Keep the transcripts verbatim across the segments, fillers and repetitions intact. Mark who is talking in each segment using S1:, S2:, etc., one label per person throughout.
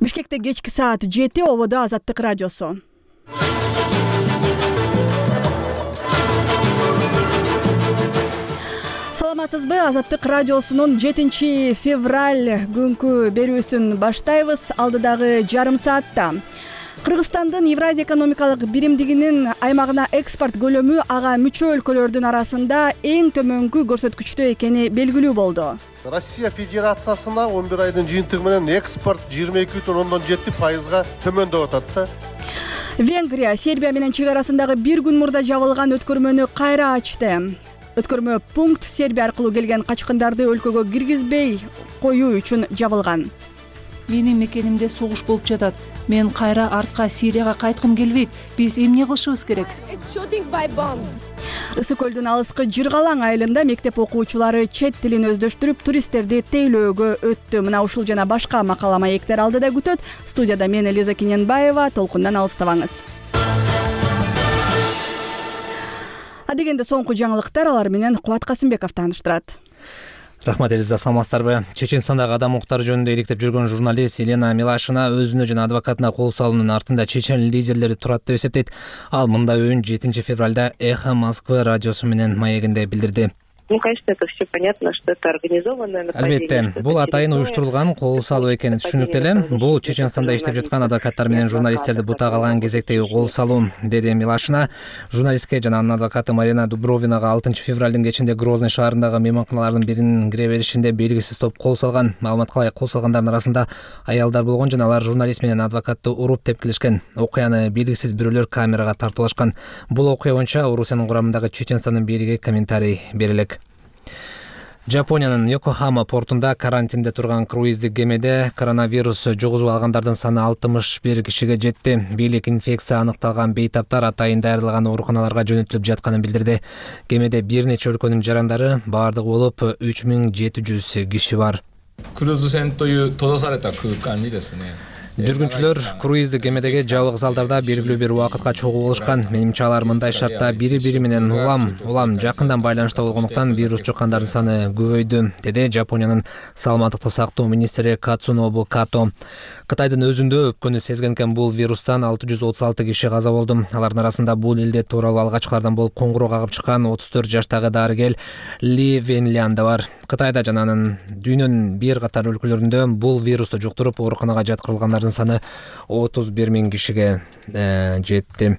S1: Бишкекте кечки саат жети, ободо Азаттык радиосу. Саламатсызбы? Азаттык радиосунун жетинчи февраль күнкү берүүсүн баштайбыз. Алдыдагы жарым саатта Кыргызстандын Евразия экономикалык биримдигинин аймагына экспорт көлөмү ага мүчө өлкөлөрдүн арасында эң төмөнкү көрсөткүчтө экени белгилүү болду.
S2: Россия Федерациясына он бир айдын жыйынтыгы менен экспорт жыйырма эки бүтүн ондон жети пайызга төмөндөп атат да.
S1: Венгрия Сербия менен чек арасындагы бир күн мурда жабылган өткөрмөнү кайра ачты. Өткөрмө пункт Сербия аркылуу келген качкындарды өлкөгө киргизбей коюу үчүн жабылган.
S3: Менин мекенимде согуш болуп жатат. Мен кайра артка Сирияга кайткым келбейт. Биз эмне кылышыбыз керек?
S1: Ысык көлдүн алыскы Жыргалаң айылында мектеп окуучулары чет тилин өздөштүрүп, туристтерди тейлөөгө өттү. Мына ушул жана башка макала маектер алдыда күтөт. Студияда мен Элиза Кененбаева, толкундан алыстабаңыз. Адегенде соңку жаңылыктар, алар менен Кубат Касымбеков тааныштырат.
S4: Рахмат Элиза, саламатсыздарбы? Чеченстандагы адам укуктары жөнүндө иликтеп жүргөн журналист Елена Милашина өзүнө жана адвокатына кол салуунун артында чечен лидерлери турат деп эсептейт. Ал мындай оюн жетинчи февралда Эхо Москвы радиосу менен маегинде билдирди.
S5: Ну, конечно, это все понятно, что это организованное нападение.
S4: Албетте, бул атайын уюштурулган кол салуу экени түшүнүктүү эле. Бул Чеченстанда иштеп жаткан адвокаттар менен журналисттерди бутак алган кезектеги кол салуу, деди Милашина. Журналистке жана анын адвокаты Марина Дубровинага алтынчы февралдын кечинде Грозный шаарындагы мейманканалардын биринин кире беришинде белгисиз топ кол салган. Маалыматка ылайык, кол салгандардын арасында аялдар болгон жана алар журналист менен адвокатты уруп тепкилешкен. Окуяны белгисиз бирөөлөр камерага тартуулашкан. Бул окуя боюнча Орусиянын курамындагы Чеченстандын бийлиги комментарий бере элек. Жапониянын Йокохама портунда карантинде турган круиздик кемеде коронавирус жугузуп алгандардын саны алтымыш бир кишиге жетти. Бийлик инфекция аныкталган бейтаптар атайын дайрылган ооруканаларга жөнөтүлүп жатканын билдирди. Кемеде бир нече өлкөнүн жарандары, бардыгы болуп үч миң жети жүз киши бар. Жүргүнчүлөр круиздик кемедеги жабык залдарда белгилүү бир убакытка чогуу болушкан. Менимче алар мындай шартта бири-бири менен улам улам жакындан байланышта болгондуктан вирус жуккандардын саны көбөйдү, деди Жапониянын саламаттыкты сактоо министри Кацунобу Като. Кытайдын өзүндө өпкөнү сезген экен бул вирустан алты жүз отуз алты киши каза болду. Алардын арасында бул илдет тууралуу алгачкылардан болуп коңгуроо кагып чыккан отуз төрт жаштагы дарыгер Ли Венлян да бар. Кытайда жана анын дүйнөнүн бир катар өлкөлөрүндө бул вирусту жуктуруп ооруканага жаткырылгандардын саны отуз бир миң кишиге жетти.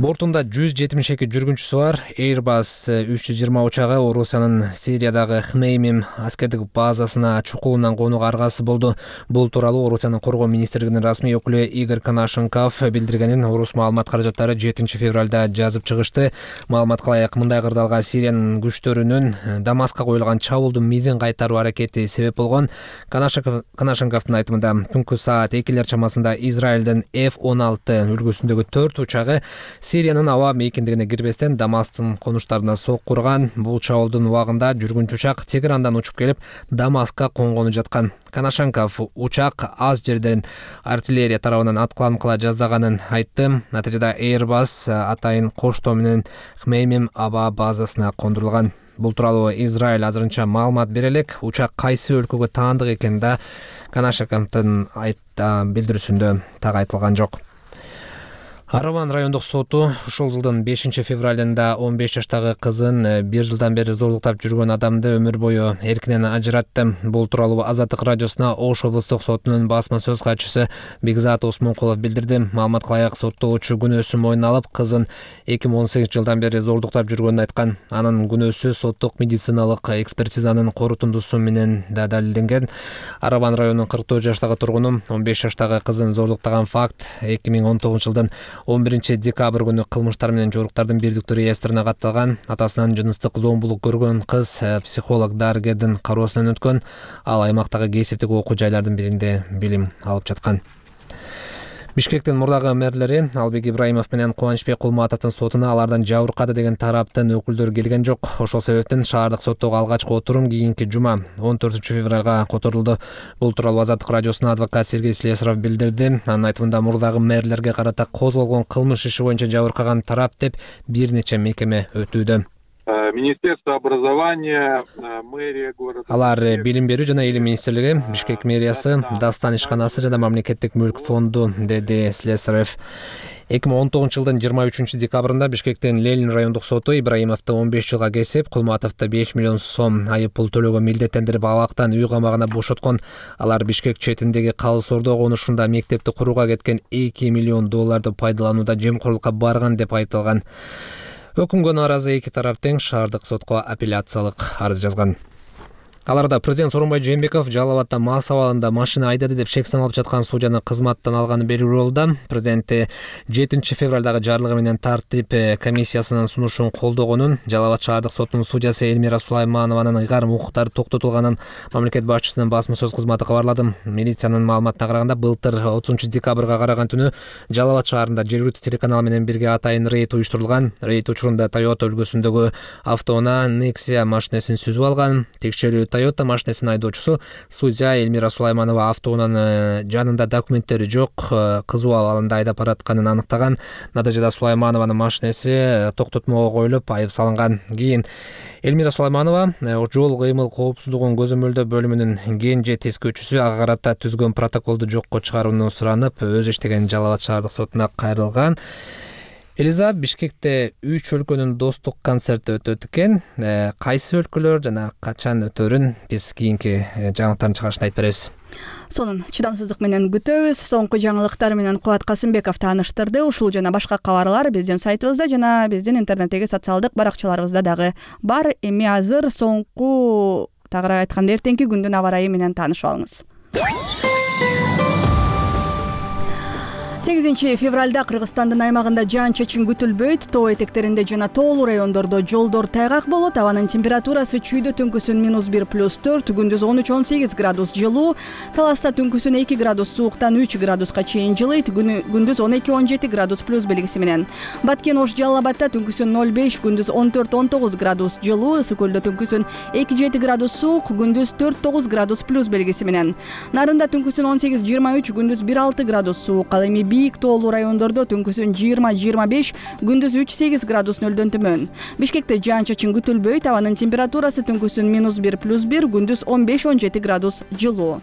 S4: Бортунда жүз жетимиш эки жүргүнчүсү бар. Airbus үч жүз жыйырма учагы Орусиянын Сириядагы Хмеймим аскердик базасына чукулунан конууга аргасы болду. Бул тууралуу Орусиянын коргоо министрлигинин расмий өкүлү Игорь Конашенков билдиргенин Орус маалымат каражаттары жетинчи февралда жазып чыгышты. Маалыматка ылайык, мындай кырдаалга Сириянын күчтөрүнүн Дамаска коюлган чабуулдун мизин кайтаруу аракети себеп болгон. Конашенковдун айтымында түнкү саат экилер чамасында Израилдин эф он алты үлгүсүндөгү төрт учагы Сириянын аба мейкиндигине кирбестен Дамастын конуштарына сокку урган. Бул чабуулдун убагында жүргүнчү учак Тегерандан учуп келип Дамаска конгону жаткан. Конашенков учак аз жерден артиллерия тарабынан аткыланып кала жаздаганын айтты. Натыйжада Airbus атайын коштоо менен Хмеймим аба базасына кондурулган. Бул тууралуу Израиль азырынча маалымат бере элек. Учак кайсы өлкөгө таандык экени да Конашенковдун билдирүүсүндө так айтылган жок. Араван райондук соту ушул жылдын бешинчи февралында он беш жаштагы кызын бир жылдан бери зорлуктап жүргөн адамды өмүр бою эркинен ажыратты. Бул тууралуу Азаттык радиосуна Ош облустук сотунун басма сөз катчысы Бекзат Осмонкулов билдирди. Маалыматка ылайык, соттолуучу күнөөсүн мойнуна алып, кызын эки миң он сегизинчи жылдан бери зорлуктап жүргөнүн айткан. Анын күнөөсү соттук медициналык экспертизанын корутундусу менен да далилденген. Араван районунун кырк төрт жаштагы тургуну он беш жаштагы кызын зорлуктаган факт эки миң он тогузунчу жылдын он биринчи декабрь күнү кылмыштар менен жоруктардын бирдиктүү реестрине катталган. Атасынан жыныстык зомбулук көргөн кыз психолог дарыгердин кароосунан өткөн. Ал аймактагы кесиптик окуу жайлардын биринде билим алып жаткан. Бишкектин мурдагы мэрлери Албек Ибраимов менен Кубанычбек Кулматовдун сотуна алардан жабыркады деген тараптын өкүлдөрү келген жок. Ошол себептен шаардык соттогу алгачкы отурум кийинки жума он төртүнчү февралга которулду. Бул тууралуу Азаттык радиосуна адвокат Сергей Слесаров билдирди. Анын айтымында мурдагы мэрлерге карата козголгон кылмыш иши боюнча жабыркаган тарап деп бир нече мекеме өтүүдө.
S6: Министерство образования, мэрия города.
S4: Алар билим берүү жана илим министрлиги, Бишкек мэриясы, Дастан ишканасы жана мамлекеттик мүлк фонду, деди Слесарев. эки миң он тогузунчу жылдын жыйырма үчүнчү декабрында Бишкектин Ленин райондук соту Ибраимовду он беш жылга кесип, Кулматовду беш миллион сом айып пул төлөөгө милдеттендирип абактан үй камагына бошоткон. Алар Бишкек четиндеги Калыс Ордо конушунда мектепти курууга кеткен эки миллион долларды пайдаланууда жемкорлукка барган деп айыпталган. Өкүмгө нааразы эки тарап тең шаардык сотко апелляциялык арыз жазган. Аларда президент Сооронбай Жээнбеков Жалал Абадда мас абалында машина айдады деп шек саналып жаткан судьяны кызматтан алганы белгилүү болду. Президенти жетинчи февралдагы жарлыгы менен тартип комиссиясынын сунушун колдогонун, Жалал Абад шаардык сотунун судьясы Эльмира Сулайманованын ыйгарым укуктары токтотулганын мамлекет башчысынын басма сөз кызматы кабарлады. Милициянын маалыматына караганда, былтыр отузунчу декабрга караган түнү Жалал Абад шаарында жергиликтүү телеканал менен бирге атайын рейд уюштурулган. Рейд учурунда Toyota үлгүсүндөгү автоунаа Nexia машинесин сүзүп алган. Текшерүү Toyota машинесинин айдоочусу судья Эльмира Сулайманова автоунаанын жанында документтери жок, кызуу абалында айдап баратканын аныктаган. Натыйжада Сулайманованын машинеси токтотмого коюлуп, айып салынган. Кийин Эльмира Сулайманова жол кыймыл коопсуздугун көзөмөлдөө бөлүмүнүн кенже тескөөчүсү ага карата түзгөн протоколду жокко чыгарууну суранып, өзү иштеген Жалал Абад шаардык сотуна кайрылган. Элиза, Бишкекте үч өлкөнүн достук концерти өтөт экен. Кайсы өлкөлөр жана качан өтөрүн биз кийинки жаңылыктардын чыгарышында айтып беребиз.
S1: Сонун чыдамсыздык менен күтөбүз. Соңку жаңылыктар менен Кубат Касымбеков тааныштырды. Ушул жана башка кабарлар биздин сайтыбызда жана биздин интернеттеги социалдык баракчаларыбызда дагы бар. Эми азыр соңку, тагыраак айтканда, эртеңки күндүн аба ырайы менен таанышып алыңыз. сегизинчи февралда Кыргызстандын аймагында жаан-чачын күтүлбөйт. Тоо этектеринде жана тоолуу райондордо жолдор тайгак болот. Абанын температурасы чүйдө түнкүсүн минус бир плюс төрт, күндүз он үч он сегиз градус жылуу. Таласта түнкүсүн эки градус сууктан үч градуска чейин жылыйт, күндүз он эки он жети градус плюс белгиси менен. Баткен Ош Жалал Абадда түнкүсүн ноль беш, күндүз он төрт он тогуз градус жылуу. Ысык Көлдө түнкүсүн эки жети градус суук, күндүз төрт тогуз градус плюс белгиси менен. Нарында түнкүсүн он сегиз жыйырма үч, күндүз бир алты градус суук. Ал эми бийик тоолуу райондордо түнкүсүн жыйырма жыйырма беш, күндүз үч сегиз градус нөлдөн төмөн. Бишкекте жаан-чачын күтүлбөйт. Абанын температурасы түнкүсүн минус бир плюс бир, күндүз он беш он жети градус жылуу.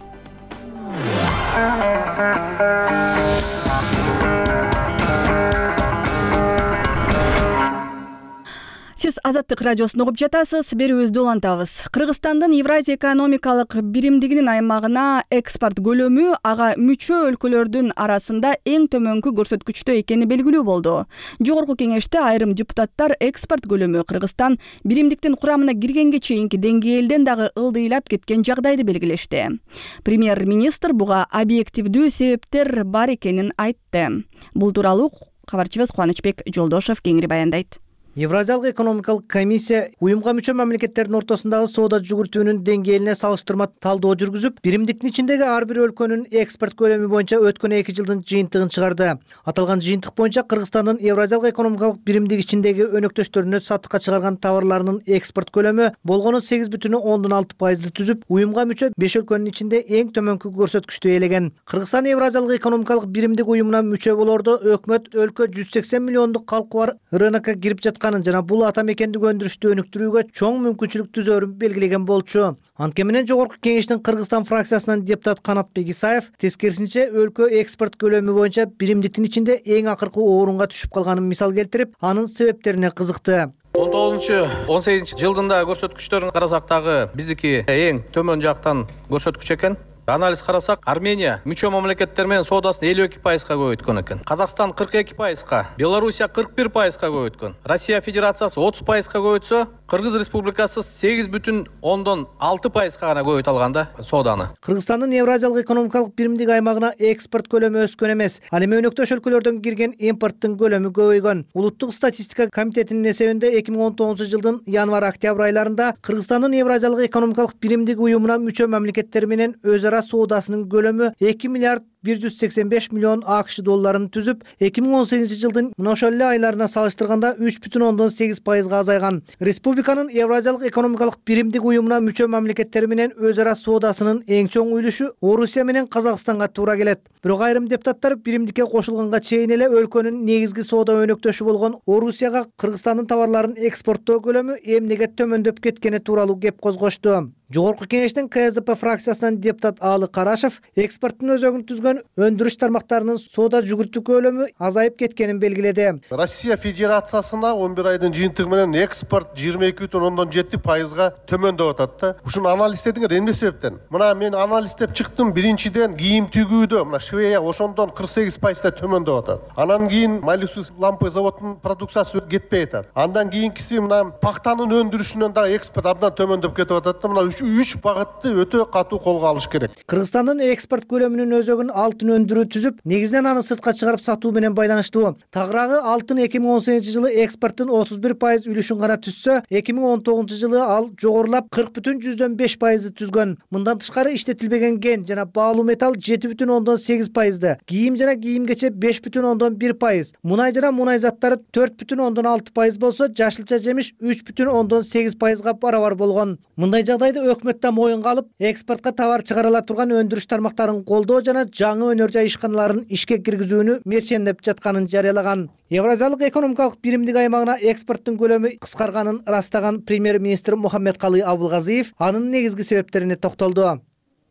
S1: Сиз Азаттык радиосун угуп жатасыз. Берүүбүздү улантабыз. Кыргызстандын Евразия экономикалык биримдигинин аймагына экспорт көлөмү ага мүчө өлкөлөрдүн арасында эң төмөнкү көрсөткүчтө экени белгилүү болду. Жогорку кеңеште айрым депутаттар экспорт көлөмү Кыргызстан биримдиктин курамына киргенге чейинки деңгээлден дагы ылдыйлап кеткен жагдайды белгилешти. Премьер-министр буга объективдүү себептер бар экенин айтты. Бул тууралуу кабарчыбыз Кубанычбек Жолдошов кеңири баяндайт.
S7: Евразиялык экономикалык комиссия уюмга мүчө мамлекеттердин ортосундагы соода жүгүртүүнүн деңгээлине салыштырма талдоо жүргүзүп, биримдиктин ичиндеги ар бир өлкөнүн экспорт көлөмү боюнча өткөн эки жылдын жыйынтыгын чыгарды. Аталган жыйынтык боюнча Кыргызстандын Евразиялык экономикалык биримдик ичиндеги өнөктөштөрүнө сатыкка чыгарган товарларынын экспорт көлөмү болгону сегиз бүтүн ондон алты пайызды түзүп, уюмга мүчө беш өлкөнүн ичинде эң төмөнкү көрсөткүчтү ээлеген. Кыргызстан Евразиялык экономикалык биримдик уюмуна мүчө болордо өкмөт өлкө жүз сексен миллиондук калкы бар рынокко кирип жаткан жана бул ата мекендик өндүрүштү өнүктүрүүгө чоң мүмкүнчүлүк түзөрүн белгилеген болчу. Анткени менен жогорку кеңештин Кыргызстан фракциясынан депутат Канатбек Исаев тескерисинче өлкө экспорт көлөмү боюнча биримдиктин ичинде эң акыркы орунга түшүп калганын мисал келтирип, анын себептерине кызыкты.
S8: он тогузунчу он сегизинчи жылдында көрсөткүчтөрүн карасак дагы биздики эң төмөн жактан көрсөткүч экен. Анализ карасак, Армения мүчө мамлекеттер менен соодасын элүү эки пайызга көбөйткөн экен. Казакстан кырк эки пайызга, Белоруссия кырк бир пайызга көбөйткөн. Россия Федерациясы отуз пайызга көбөйтсө, Кыргыз Республикасы сегиз бүтүн ондон алты пайызга гана көбөйтө алган да сооданы.
S7: Кыргызстандын Евразиялык экономикалык биримдик аймагына экспорт көлөмү өскөн эмес. Ал эми өнөктөш өлкөлөрдөн кирген импорттун көлөмү көбөйгөн. Улуттук статистика комитетинин эсебинде эки миң он тогузунчу жылдын январь-октябрь айларында Кыргызстандын Евразиялык экономикалык биримдик уюмуна мүчө мамлекеттер менен өз ара соодасынын көлөмү эки миллиард бир жүз сексен беш миллион АКШ долларын түзүп, эки миң он сегизинчи жылдын мына ошол эле айларына салыштырганда үч бүтүн ондон сегиз пайызга азайган. Республиканын Евразиялык экономикалык биримдик уюмуна мүчө мамлекеттери менен өз ара соодасынын эң чоң үлүшү Орусия менен Казакстанга туура келет. Бирок айрым депутаттар биримдикке кошулганга чейин эле өлкөнүн негизги соода өнөктөшү болгон Орусияга Кыргызстандын товарларын экспорттоо көлөмү эмнеге төмөндөп кеткени тууралуу кеп козгошту. Жогорку кеңештин КСДП фракциясынан депутат Аалы Карашев экспорттун өзөгүн түзгөн өндүрүш тармактарынын соода жүгүртүү көлөмү азайып кеткенин белгиледи.
S2: Россия Федерациясына он бир айдын жыйынтыгы менен экспорт жыйырма эки бүтүн ондон жети пайызга төмөндөп атат да. Ушуну анализдедиңер эмне себептен? Мына мен анализдеп чыктым. Биринчиден кийим тигүүдө мына швея ошондон кырк сегиз пайызда төмөндөп атат. Анан кийин Малюсус лампы заводунун продукциясы кетпей атат. Андан кийинкиси мына пактанын өндүрүшүнөн дагы экспорт абдан төмөндөп кетип атат да. Мына үч багытты өтө катуу колго алыш керек.
S7: Кыргызстандын экспорт көлөмүнүн өзөгүн алтын өндүрүү түзүп, негизинен аны сыртка чыгарып сатуу менен байланыштуу. Тагыраагы алтын эки миң он сегизинчи жылы экспорттун отуз бир пайыз үлүшүн гана түзсө, эки миң он тогузунчу жылы ал жогорулап кырк бүтүн жүздөн беш пайызды түзгөн. Мындан тышкары иштетилбеген кен жана баалуу металл жети бүтүн ондон сегиз пайызды, кийим жана кийимгече беш бүтүн ондон бир пайыз, мунай жана мунай заттары төрт бүтүн ондон алты пайыз болсо, жашылча жемиш үч бүтүн ондон сегиз пайызга барабар болгон. Мындай жагдайды өкмөт моюнга алып, экспортко товар чыгарыла турган өндүрүш тармактарын колдоо жана жаңы өнөр жай ишканаларын ишке киргизүүнү мерчемдеп жатканын жарыялаган. Евразиялык экономикалык биримдик аймагына экспорттун көлөмү кыскарганын ырастаган премьер-министр Мухаммедкалый Абылгазиев анын негизги себептерине токтолду.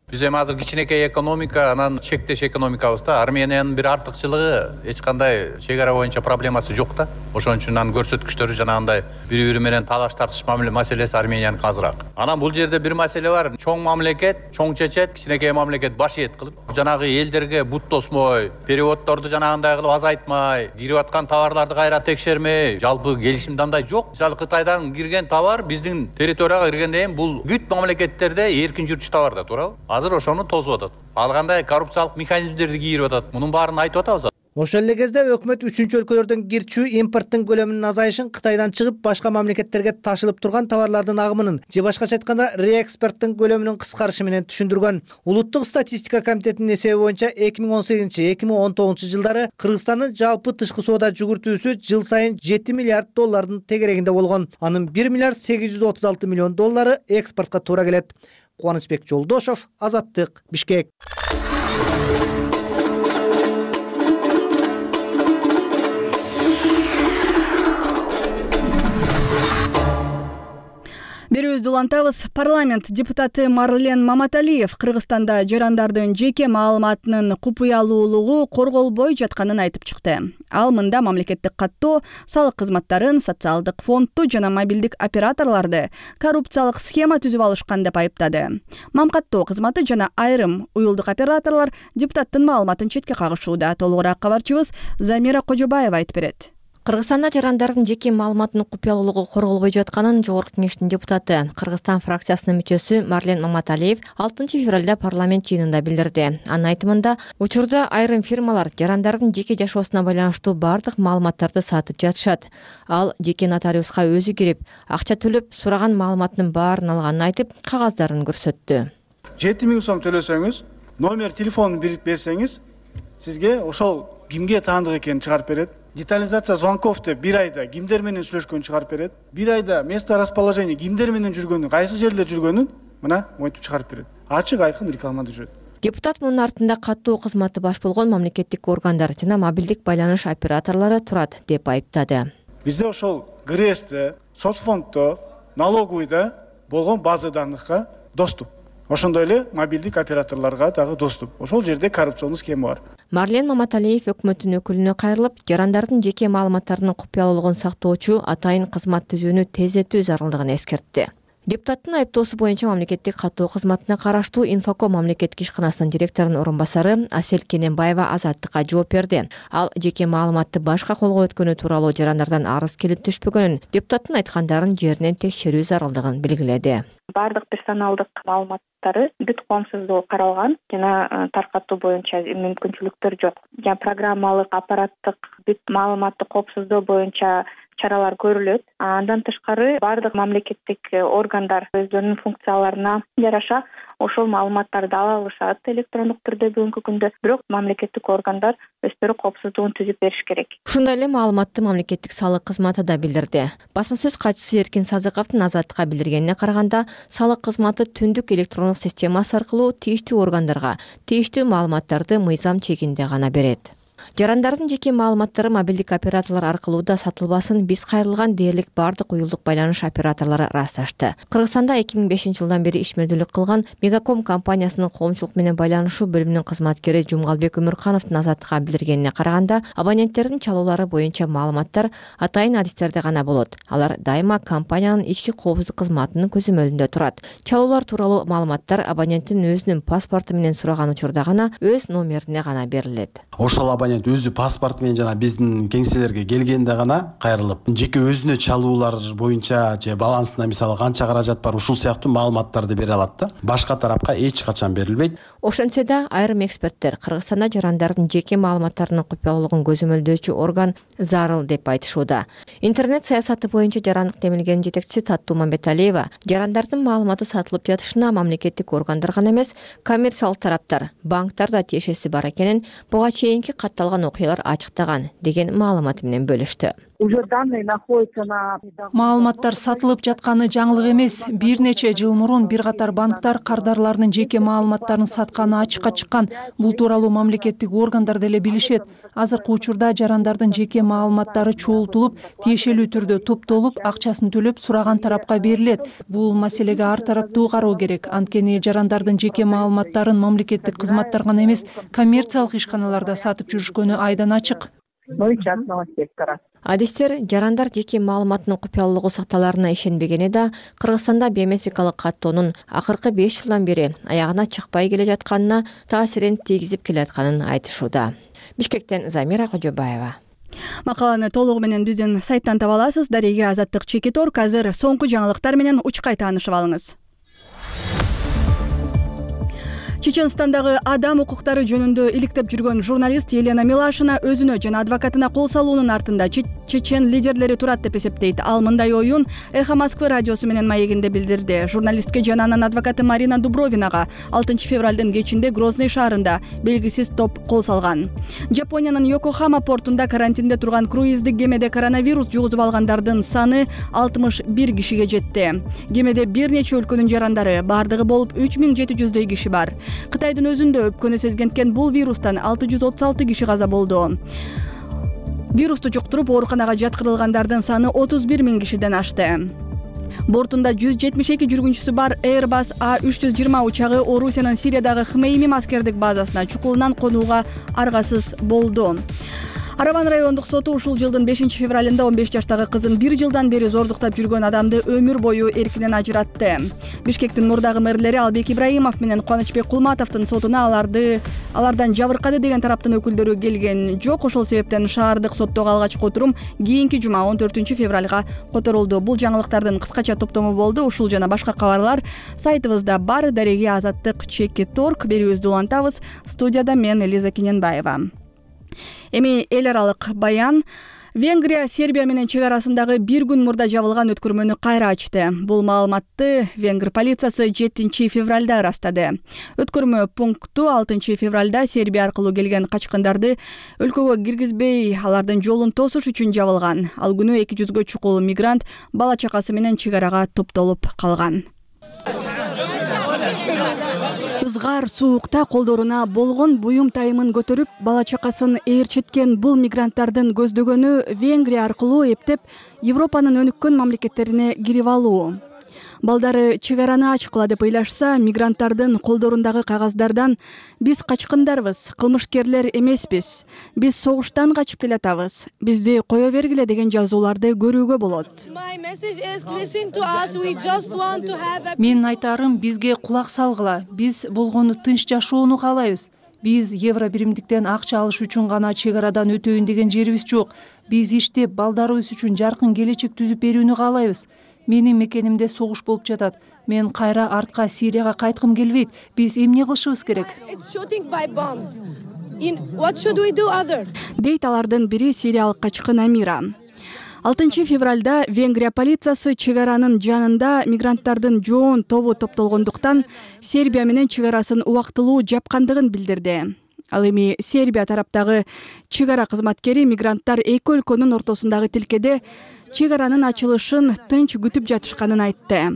S8: Биз эми азыр кичинекей экономика, анан чектеш экономикабызда Армениянын бир артыкчылыгы эч кандай чек ара боюнча проблемасы жок да. Ошон үчүн анын көрсөткүчтөрү жанагындай бири-бири менен талаш тартыш маселеси Арменияныкы азыраак. Анан бул жерде бир маселе бар. Чоң мамлекет, чоң чечет, кичинекей мамлекет баш ийет кылып, жанагы элдерге бут тосмой, переводдорду жанагындай кылып азайтмай, кирип аткан товарларды кайра текшермей, жалпы келишимде андай жок. Мисалы Кытайдан кирген товар биздин территорияга киргенден кийин бул бүт мамлекеттерде эркин жүрчү товар да, туурабы? Азыр ошону тосуп атат. Ал кандай коррупциялык механизмдерди кийирип атат. Мунун баарын айтып атабыз.
S7: Ошол эле кезде өкмөт үчүнчү өлкөлөрдөн кирчүү импорттун көлөмүнүн азайышын, Кытайдан чыгып башка мамлекеттерге ташылып турган товарлардын агымынын же башкача айтканда реэкспорттун көлөмүнүн кыскарышы менен түшүндүргөн. Улуттук статистика комитетинин эсеби боюнча эки миң он сегизинчи эки миң он тогузунчу жылдары Кыргызстандын жалпы тышкы соода жүгүртүүсү жыл сайын жети миллиард доллардын тегерегинде болгон. Анын бир миллиард сегиз жүз отуз алты миллион доллары экспортко туура келет. Кубанычбек Жолдошов, Азаттык, Бишкек.
S1: Берүүбүздү улантабыз. Парламент депутаты Марлен Маматалиев Кыргызстанда жарандардын жеке маалыматынын купуялуулугу корголбой жатканын айтып чыкты. Ал мында мамлекеттик каттоо, салык кызматтарын, социалдык фондду жана мобилдик операторлорду коррупциялык схема түзүп алышкан деп айыптады. Мамкаттоо кызматы жана айрым уюлдук операторлор депутаттын маалыматын четке кагышууда. Толугураак кабарчыбыз Замира Кожобаева айтып берет.
S9: Кыргызстанда жарандардын жеке маалыматынын купуялуулугу корголбой жатканын Жогорку кеңештин депутаты, Кыргызстан фракциясынын мүчөсү Марлен Маматалиев алтынчы февралда парламент жыйынында билдирди. Анын айтымында, учурда айрым фирмалар жарандардын жеке жашоосуна байланыштуу бардык маалыматтарды сатып жатышат. Ал жеке нотариуска өзү кирип, акча төлөп, сураган маалыматынын баарын алганын айтып, кагаздарын көрсөттү.
S10: жети миң сом төлөсөңүз, номер телефонун берсеңиз, сизге ошол кимге таандык экенин чыгарып берет. Детализация звонков деп бир айда кимдер менен сүйлөшкөнүн чыгарып берет. Бир айда место расположения кимдер менен жүргөнүн, кайсы жерде жүргөнүн мына монтип чыгарып берет. Ачык айкын рекламада жүрөт.
S9: Депутат мунун артында каттоо кызматы баш болгон мамлекеттик органдар жана мобилдик байланыш операторлору турат деп айыптады.
S10: Бизде ошол ГРЭСте, соцфонддо, налоговыйда болгон база данныхка доступ. Ошондой эле мобилдик операторлорго дагы доступ. Ошол жерде коррупционный схема бар.
S9: Марлен Маматалиев өкмөттүн өкүлүнө кайрылып, жарандардын жеке маалыматтарынын купуялуулугун сактоочу атайын кызмат түзүүнү тездетүү зарылдыгын эскертти. Депутаттын айыптоосу боюнча мамлекеттик каттоо кызматына караштуу Инфоком мамлекеттик ишканасынын директорунун орун басары Асель Кененбаева Азаттыкка жооп берди. Ал жеке маалыматты башка колго өткөнү тууралуу жарандардан арыз келип түшпөгөнүн, депутаттын айткандарын жеринен текшерүү зарылдыгын белгиледи.
S5: Бардык персоналдык маалыматтары бүт коомсуздугу каралган жана таркатуу боюнча мүмкүнчүлүктөр жок. Жана программалык, аппараттык бүт маалыматты коопсуздоо боюнча чаралар көрүлөт. Андан тышкары баардык мамлекеттик органдар өздөрүнүн функцияларына жараша ошол маалыматтарды ала алышат электрондук түрдө бүгүнкү күндө. Бирок мамлекеттик органдар өздөрү коопсуздугун түзүп бериш керек.
S9: Ушундай эле маалыматты мамлекеттик салык кызматы да билдирди. Басма сөз катчысы Эркин Сазыковдун Азаттыкка билдиргенине караганда, салык кызматы түндүк электрондук системасы аркылуу тийиштүү органдарга тийиштүү маалыматтарды мыйзам чегинде гана берет. Жарандардын жеке маалыматтары мобилдик операторлор аркылуу да сатылбасын биз кайрылган дээрлик баардык уюлдук байланыш операторлору ырасташты. Кыргызстанда эки миң бешинчи жылдан бери ишмердүүлүк кылган Мегаком компаниясынын коомчулук менен байланышуу бөлүмүнүн кызматкери Жумгалбек Өмүркановдун Азаттыкка билдиргенине караганда, абоненттердин чалуулары боюнча маалыматтар атайын адистерде гана болот. Алар дайыма компаниянын ички коопсуздук кызматынын көзөмөлүндө турат. Чалуулар тууралуу маалыматтар абоненттин өзүнүн паспорту менен сураган учурда гана өз номерине гана берилет.
S11: Ошол абонент өзү паспорт менен жана биздин кеңселерге келгенде гана кайрылып, жеке өзүнө чалуулар боюнча же балансына мисалы канча каражат бар, ушул сыяктуу маалыматтарды бере алат да. Башка тарапка эч качан берилбейт.
S9: Ошентсе да, айрым эксперттер Кыргызстанда жарандардын жеке маалыматтарынын купуялуулугун көзөмөлдөөчү орган зарыл деп айтышууда. Интернет саясаты боюнча жарандык демилгенин жетекчиси Таттуу Мамбеталиева жарандардын маалыматы сатылып жатышына мамлекеттик органдар гана эмес, коммерциялык тараптар, банктар да тиешеси бар экенин буга чейинки катталган окуялар ачыктаган деген маалыматы менен бөлүштү.
S3: Маалыматтар сатылып жатканы жаңылык эмес. Бир нече жыл мурун бир катар банктар кардарларынын жеке маалыматтарын сатканы ачыкка чыккан. Бул тууралуу мамлекеттик органдар деле билишет. Азыркы учурда жарандардын жеке маалыматтары чогултулуп, тиешелүү түрдө топтолуп, акчасын төлөп сураган тарапка берилет. Бул маселеге ар тараптуу кароо керек. Анткени жарандардын жеке маалыматтарын мамлекеттик кызматтар гана эмес, коммерциялык ишканаларда сатып жүрүшкөнү айдан ачык.
S9: Адистер жарандар жеке маалыматынын купуялуулугу сакталарына ишенбегени да Кыргызстанда биометрикалык каттоонун акыркы беш жылдан бери аягына чыкпай келе жатканына таасирин тийгизип келатканын айтышууда. Бишкектен Замира Кожобаева.
S1: Макаланы толугу менен биздин сайттан таба аласыз. Дареге Азаттык Чекиторг. Азыр соңку жаңылыктар менен учкай таанышып алыңыз. Чеченстандагы адам укуктары жөнүндө иликтеп жүргөн журналист Елена Милашина өзүнө жана адвокатына кол салуунун артында чечен лидерлери турат деп эсептейт. Ал мындай оюн Эхо Москвы радиосу менен маегинде билдирди. Журналистке жана анын адвокаты Марина Дубровинага алтынчы февралдын кечинде Грозный шаарында белгисиз топ кол салган. Жапониянын Йокохама портунда карантинде турган круиздик кемеде коронавирус жугузуп алгандардын саны алтымыш бир кишиге жетти. Кемеде бир нече өлкөнүн жарандары, бардыгы болуп үч миң жети жүздөй киши бар. Кытайдын өзүндө өпкөнү сезгенткен бул вирустан алты жүз отуз алты киши каза болду. Вирусту жуктуруп ооруканага жаткырылгандардын саны отуз бир миң кишиден ашты. Бортунда жүз жетимиш эки жүргүнчүсү бар Airbus А үч жүз жыйырма учагы Орусиянын Сириядагы Хмеймим аскердик базасына чукулунан конууга аргасыз болду. Араван райондук соту ушул жылдын бешинчи февралында он беш жаштагы кызын бир жылдан бери зордуктап жүргөн адамды өмүр бою эркинен ажыратты. Бишкектин мурдагы мэрлери Албек Ибраимов менен Кубанычбек Кулматовдун сотуна аларды алардан жабыркады деген тараптын өкүлдөрү келген жок. Ошол себептен шаардык соттогу алгачкы отурум кийинки жума он төртүнчү февралга которулду. Бул жаңылыктардын кыскача топтому болду. Ушул жана башка кабарлар сайтыбызда бар. Дареге Азаттык Чекиторг. Берүүбүздү улантабыз. Студияда мен Элиза Кененбаева. Эми эл аралык баян. Венгрия Сербия менен чек арасындагы бир күн мурда жабылган өткөрмөнү кайра ачты. Бул маалыматты Венгр полициясы жетинчи февралда ырастады. Өткөрмө пункту алтынчы февралда Сербия аркылуу келген качкындарды өлкөгө киргизбей, алардын жолун тосуш үчүн жабылган. Ал күнү эки жүзгө чукул мигрант бала чакасы менен чек арага топтолуп калган. Ызгар суукта колдоруна болгон буюм тайымын көтөрүп, бала чакасын ээрчиткен бул мигранттардын көздөгөнү Венгрия аркылуу эптеп Европанын өнүккөн мамлекеттерине кирип алуу. Балдары чек араны ачкыла деп ыйлашса, мигранттардын колдорундагы кагаздардан биз качкындарбыз, кылмышкерлер эмеспиз, биз согуштан качып келатабыз, бизди кое бергиле деген жазууларды көрүүгө болот.
S3: Менин айтарым, бизге кулак салгыла. Биз болгону тынч жашоону каалайбыз. Биз евро биримдиктен акча алыш үчүн гана чек арадан өтөйүн деген жерибиз жок. Биз иштеп, балдарыбыз үчүн жаркын келечек түзүп берүүнү каалайбыз. Менин мекенимде согуш болуп жатат. Мен кайра артка Сирияга кайткым келбейт. Биз эмне кылышыбыз керек?
S1: Дейт алардын бири сириялык качкын Амира. алтынчы февралда Венгрия полициясы чек аранын жанында мигранттардын жоон тобу топтолгондуктан Сербия менен чек арасын убактылуу жапкандыгын билдирди. Ал эми Сербия тараптагы чек ара кызматкери мигранттар эки өлкөнүн ортосундагы тилкеде чек аранын ачылышын тынч күтүп жатышканын айтты.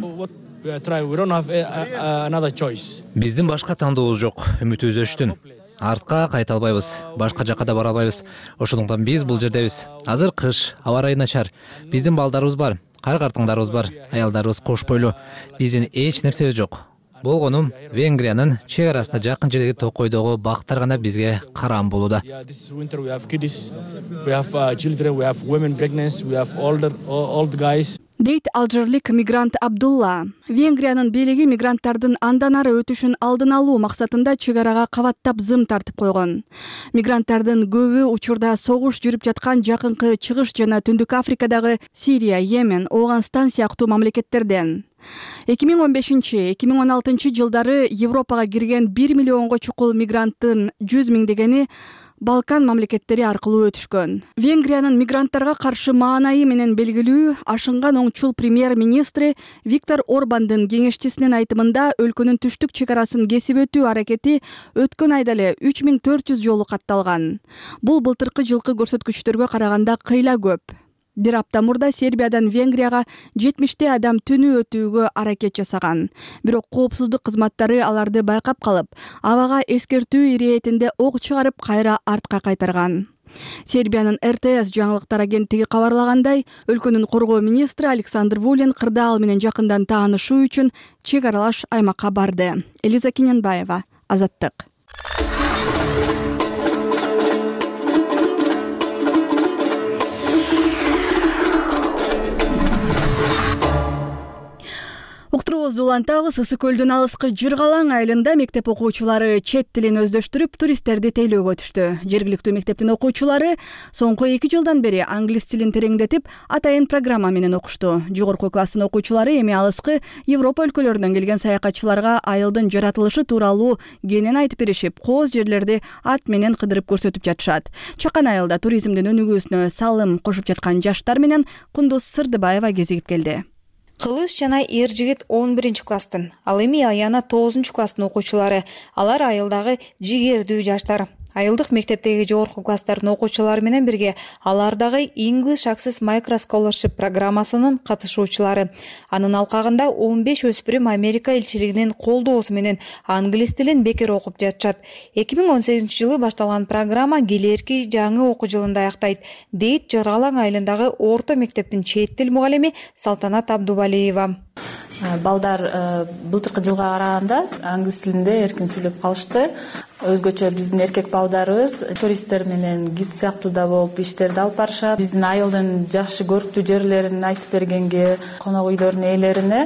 S4: Биздин башка тандообуз жок, үмүтүбүз өчтүн. Артка кайта албайбыз, башка жакка да бара албайбыз. Ошондуктан биз бул жердебиз. Азыр кыш, аба ырайы начар. Биздин балдарыбыз бар, кар-картыңдарыбыз бар, аялдарыбыз кош бойлуу. Биздин эч нерсебиз жок. Болгону Венгриянын чек арасында жакын жердеги токойдогу бактар гана бизге карам болууда.
S1: Дейт алжирлик мигрант Абдулла. Венгриянын бийлиги мигранттардын андан ары өтүшүн алдын алуу максатында чек арага кабаттап зым тартып койгон. Мигранттардын көбү учурда согуш жүрүп жаткан жакынкы чыгыш жана Түндүк Африкадагы Сирия, Йемен, Оогунстан сыяктуу мамлекеттерден. эки миң он бешинчи — эки миң он алтынчы жылдары Европага кирген бир миллионго чукул мигранттын жүз миңдегени Балкан мамлекеттери аркылуу өтүшкөн. Венгриянын мигранттарга каршы маанайы менен белгилүү ашынган оңчул премьер-министри Виктор Орбандын кеңешчисинин айтымында өлкөнүн түштүк чек арасын кесип өтүү аракети өткөн айда эле үч миң төрт жүз жолу катталган. Бул былтыркы жылкы көрсөткүчтөргө караганда кыйла көп. Бир апта мурда Сербиядан Венгрияга жетимиштей адам түнү өтүүгө аракет жасаган. Бирок коопсуздук кызматтары аларды байкап калып, абага эскертүү иретинде ок чыгарып кайра артка кайтарган. Сербиянын эр тэ эс жаңылыктар агенттиги кабарлагандай, өлкөнүн коргоо министри Александр Вулин кырдаал менен жакындан таанышуу үчүн чек аралаш аймакка барды. Элиза Киненбаева, Азаттык. Уктуруубузду улантабыз. Ысык көлдүн алыскы Жыргалаң айылында мектеп окуучулары чет тилин өздөштүрүп, туристтерди тейлөөгө түштү. Жергиликтүү мектептин окуучулары соңку эки жылдан бери англис тилин тереңдетип, атайын программа менен окушту. Жогорку класстын окуучулары эми алыскы Европа өлкөлөрүнөн келген саякатчыларга айылдын жаратылышы тууралуу кенен айтып беришип, кооз жерлерди ат менен кыдырып көрсөтүп жатышат. Чакан айылда туризмдин өнүгүүсүнө салым кошуп жаткан жаштар менен Кундуз Сырдыбаева кезигип келди.
S12: Кылыш жана эр жигит он биринчи класстын, ал эми Аяна тогузунчу класстын окуучулары. Алар айылдагы жигердүү жаштар. Айылдык мектептеги жогорку класстардын окуучулары менен бирге алар дагы English Access Micro Scholarship программасынын катышуучулары. Анын алкагында он беш өспүрүм Америка элчилигинин колдоосу менен англис тилин бекер окуп жатышат. эки миң он сегизинчи жылы башталган программа келерки жаңы окуу жылында аяктайт, дейт Жыргалаң айылындагы орто мектептин чет тил мугалими Салтанат Абдубалиева.
S13: Балдар былтыркы жылга караганда англис тилинде эркин сүйлөп калышты. Өзгөчө биздин эркек балдарыбыз туристтер менен гид сыяктуу да болуп иштерди алып барышат. Биздин айылдын жакшы көрктүү жерлерин айтып бергенге, конок үйлөрдүн ээлерине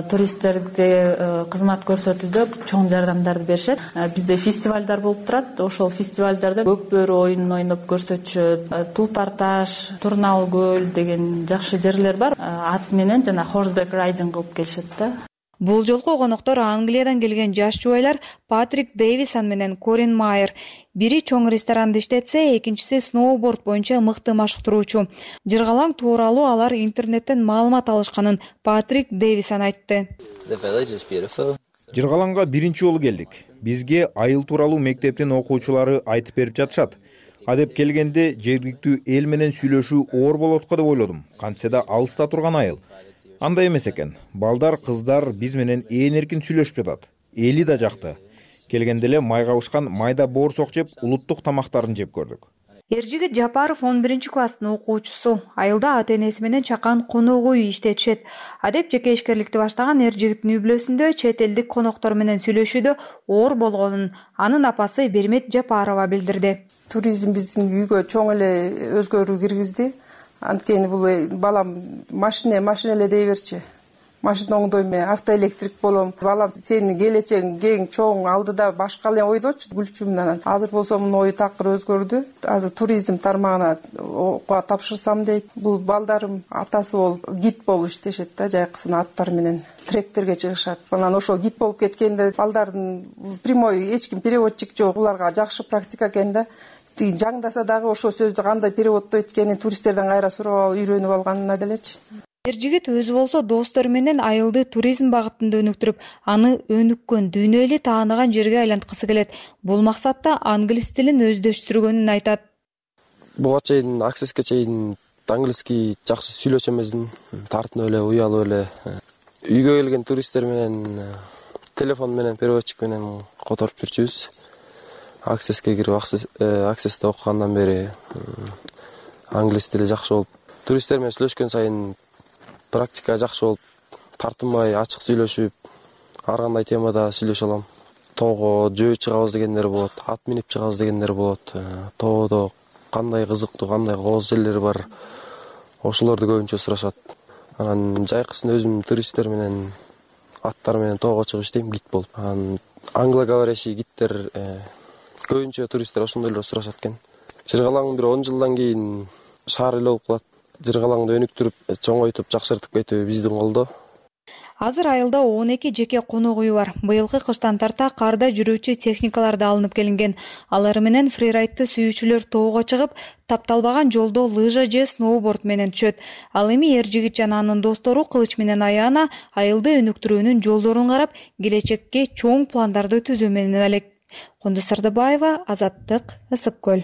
S13: туристтерге кызмат көрсөтүүдө чоң жардамдарды беришет. Бизде фестивалдар болуп турат. Ошол фестивалдарда көк бөрү оюнун ойноп көрсөтүшөт. Тулпар таш, Турнал көл деген жакшы жерлер бар. Ат менен жана horseback riding кылып келишет да.
S12: Бул жолку коноктор Англиядан келген жаш жубайлар Патрик Дэвисон менен Корин Майер. Бири чоң ресторанды иштетсе, экинчиси сноуборд боюнча мыкты машыктыруучу. Жыргалаң тууралуу алар интернеттен маалымат алышканын Патрик Дэвисон айтты.
S14: Жыргалаңга биринчи жолу келдик. Бизге айыл тууралуу мектептин окуучулары айтып берип жатышат. Адеп келгенде жергиликтүү эл менен сүйлөшүү оор болот го деп ойлодум. Кантсе да алыста турган айыл. Андай эмес экен. Балдар, кыздар биз менен ээн эркин сүйлөшүп жатат. Эли да жакты. Келгенде эле май кабышкан майда боорсок жеп, улуттук тамактарын жеп көрдүк.
S12: Эржигит Жапаров он биринчи класстын окуучусу. Айылда ата-энеси менен чакан конок үй иштетишет. Адеп жеке ишкерликти баштаган эржигиттин үй-бүлөсүндө чет элдик коноктор менен сүйлөшүүдө оор болгонун анын апасы Бермет Жапарова билдирди.
S15: Туризм биздин үйгө чоң эле өзгөрүү киргизди. Анткени бул балам машина машина эле дей берчи. Машина оңдойм, автоэлектрик болом. Балам сенин келечегиң кең, чоң, алдыда башка эле ойдочу, күлчүмүн. Азыр болсо мунун ою такыр өзгөрдү. Азыр туризм тармагына окууга тапшырсам дейт. Бул балдарым атасы болуп, гид болуп иштешет да, жайкысына аттар менен тректерге чыгышат. Анан ошо гид болуп кеткенде балдардын прямой эч ким переводчик жок, буларга жакшы практика экен да. жаңдаса дагы ошол сөздү кандай переводдо эткенин туристтерден кайра сурап алып үйрөнүп алганына делечи.
S12: Эр жигит өзү болсо достору менен айылды туризм багытында өнүктүрүп, аны өнүккөн, дүйнө эли тааныган жерге айланткысы келет. Бул максатта англис тилин өздөштүргөнүн айтат.
S16: Буга чейин Аксеске чейин англиски жакшы сүйлөчү эмесмин, тартынып эле, уялып эле. Үйгө келген туристтер менен телефон менен, переводчик менен которуп жүрчүбүз. Аксеске кирип, Аксесте окугандан бери англис тили жакшы болуп, туристтер менен сүйлөшкөн сайын практика жакшы болуп, тартынбай ачык сүйлөшүп, ар кандай темада сүйлөшө алам. Тоого жөө чыгабыз дегендер болот, ат минип чыгабыз дегендер болот. Тоодо кандай кызыктуу, кандай кооз жерлер бар, ошолорду көбүнчө сурашат. Анан жайкысын өзүм туристтер менен, аттар менен тоого чыгып иштейм, гид болуп. Анан англоговорящий гидтер көбүнчө туристтер ошондойлор сурашат экен. Жыргалаң бир он жылдан кийин шаар эле болуп калат. Жыргалаңды өнүктүрүп, чоңойтуп, жакшыртып кетүү биздин колдо.
S12: Азыр айылда он эки жеке конок үй бар. Быйылкы кыштан тарта карда жүрүүчү техникалар да алынып келинген. Алар менен фрирайдты сүйүүчүлөр тоого чыгып, тапталбаган жолдо лыжа же сноуборд менен түшөт. Ал эми эр жигит жана анын достору кылыч менен аяна айылды өнүктүрүүнүн жолдорун карап, келечекке чоң пландарды түзүү менен элек. Кундуз Сардыбаева, Азаттык, Ысык көл.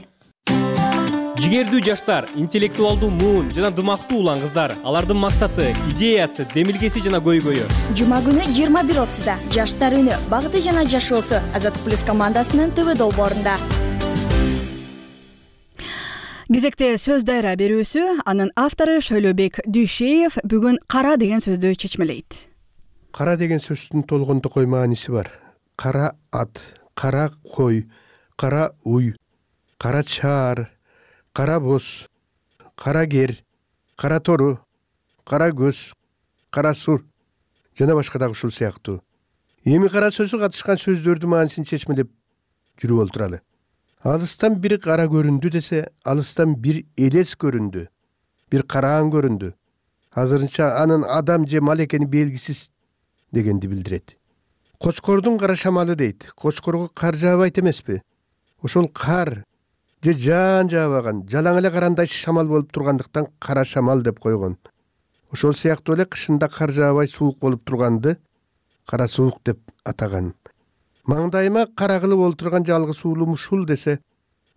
S17: Жигердүү жаштар, интеллектуалдуу муун жана дымактуу улан кыздар. Алардын максаты, идеясы, демилгеси жана көйгөйү.
S18: Жума күнү жыйырма бир отузда Жаштар үнү, багыты жана жашоосу Азаттык плюс командасынын ТВ долбоорунда.
S1: Кезекте сөз дайра берүүсү, анын автору Шөйлөбек Дүйшеев бүгүн кара деген сөздү чечмелейт.
S2: Кара деген сөздүн толгондокой мааниси бар. Кара ат, кара кой, кара уй, кара чаар, кара боз, кара кер, кара тору, кара көз, кара сур жана башка дагы ушул сыяктуу. Эми кара сөзү катышкан сөздөрдүн маанисин чечмелеп жүрүп олтуралы. Алыстан бир кара көрүндү десе, алыстан бир элес көрүндү, бир караан көрүндү. Азырынча анын адам же мал экени белгисиз дегенди билдирет. Кочкордун кара шамалы дейт. Кочкорго кар жаабайт эмеспи? Ошол кар же жаан жаабаган, жалаң эле карандай шамал болуп тургандыктан кара шамал деп койгон. Ошол сыяктуу эле кышында кар жаабай суук болуп турганды кара суук деп атаган. Маңдайыма кара кылып олтурган жалгыз уулум ушул десе,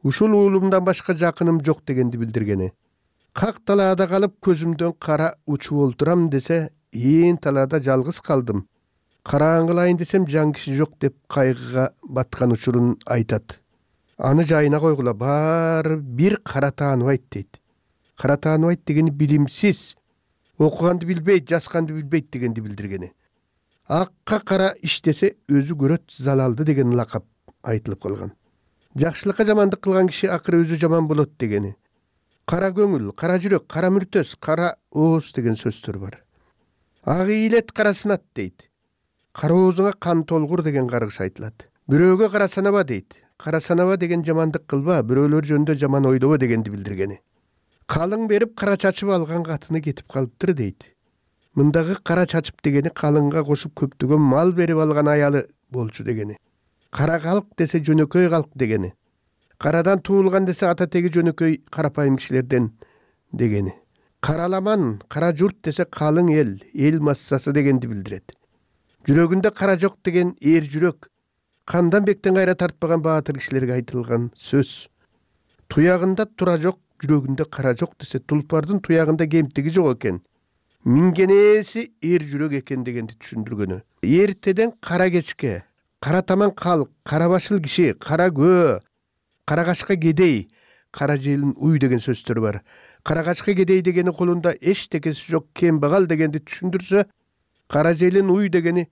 S2: ушул уулумдан башка жакыным жок дегенди билдиргени. Как талаада калып көзүмдөн кара учуп олтурам десе, ээн талаада жалгыз калдым. Караан кылайын десем жан киши жок деп кайгыга баткан учурун айтат. Аны жайына койгула, баары бир кара тааныбайт дейт. Кара тааныбайт дегени билимсиз, окуганды билбейт, жазганды билбейт дегенди билдиргени. Акка кара иштесе өзү көрөт залалды деген лакап айтылып калган. Жакшылыкка жамандык кылган киши акыры өзү жаман болот дегени. Кара көңүл, кара жүрөк, кара мүртөс, кара ооз деген сөздөр бар. Ак ийлет кара сынат дейт. Кара оозуңа кан толгур деген каргыш айтылат. Бирөөгө кара санаба дейт. Кара санаба деген жамандык кылба, бирөөлөр жөнүндө жаман ойлобо дегенди билдиргени. Калың берип кара чачып алган катыны кетип калыптыр дейт. Мындагы кара чачып дегени калыңга кошуп көптөгөн мал берип алган аялы болчу дегени. Кара калк десе жөнөкөй калк дегени. Карадан туулган десе ата теги жөнөкөй карапайым кишилерден дегени. Караламан, кара журт десе калың эл, эл массасы дегенди билдирет. Жүрөгүндө кара жок деген эр жүрөк, кандан бектен кайра тартпаган баатыр кишилерге айтылган сөз. Туягында тура жок, жүрөгүндө кара жок десе, тулпардын туягында кемтиги жок экен. Мингенеси эр жүрөк экен дегенди түшүндүргөнү. Эртеден кара кечке, кара таман калк, кара башыл киши, кара көө, кара качка кедей, кара желин уй деген сөздөр бар. Кара качка кедей дегени колунда эчтекеси жок кембагал дегенди түшүндүрсө, кара желин уй дегени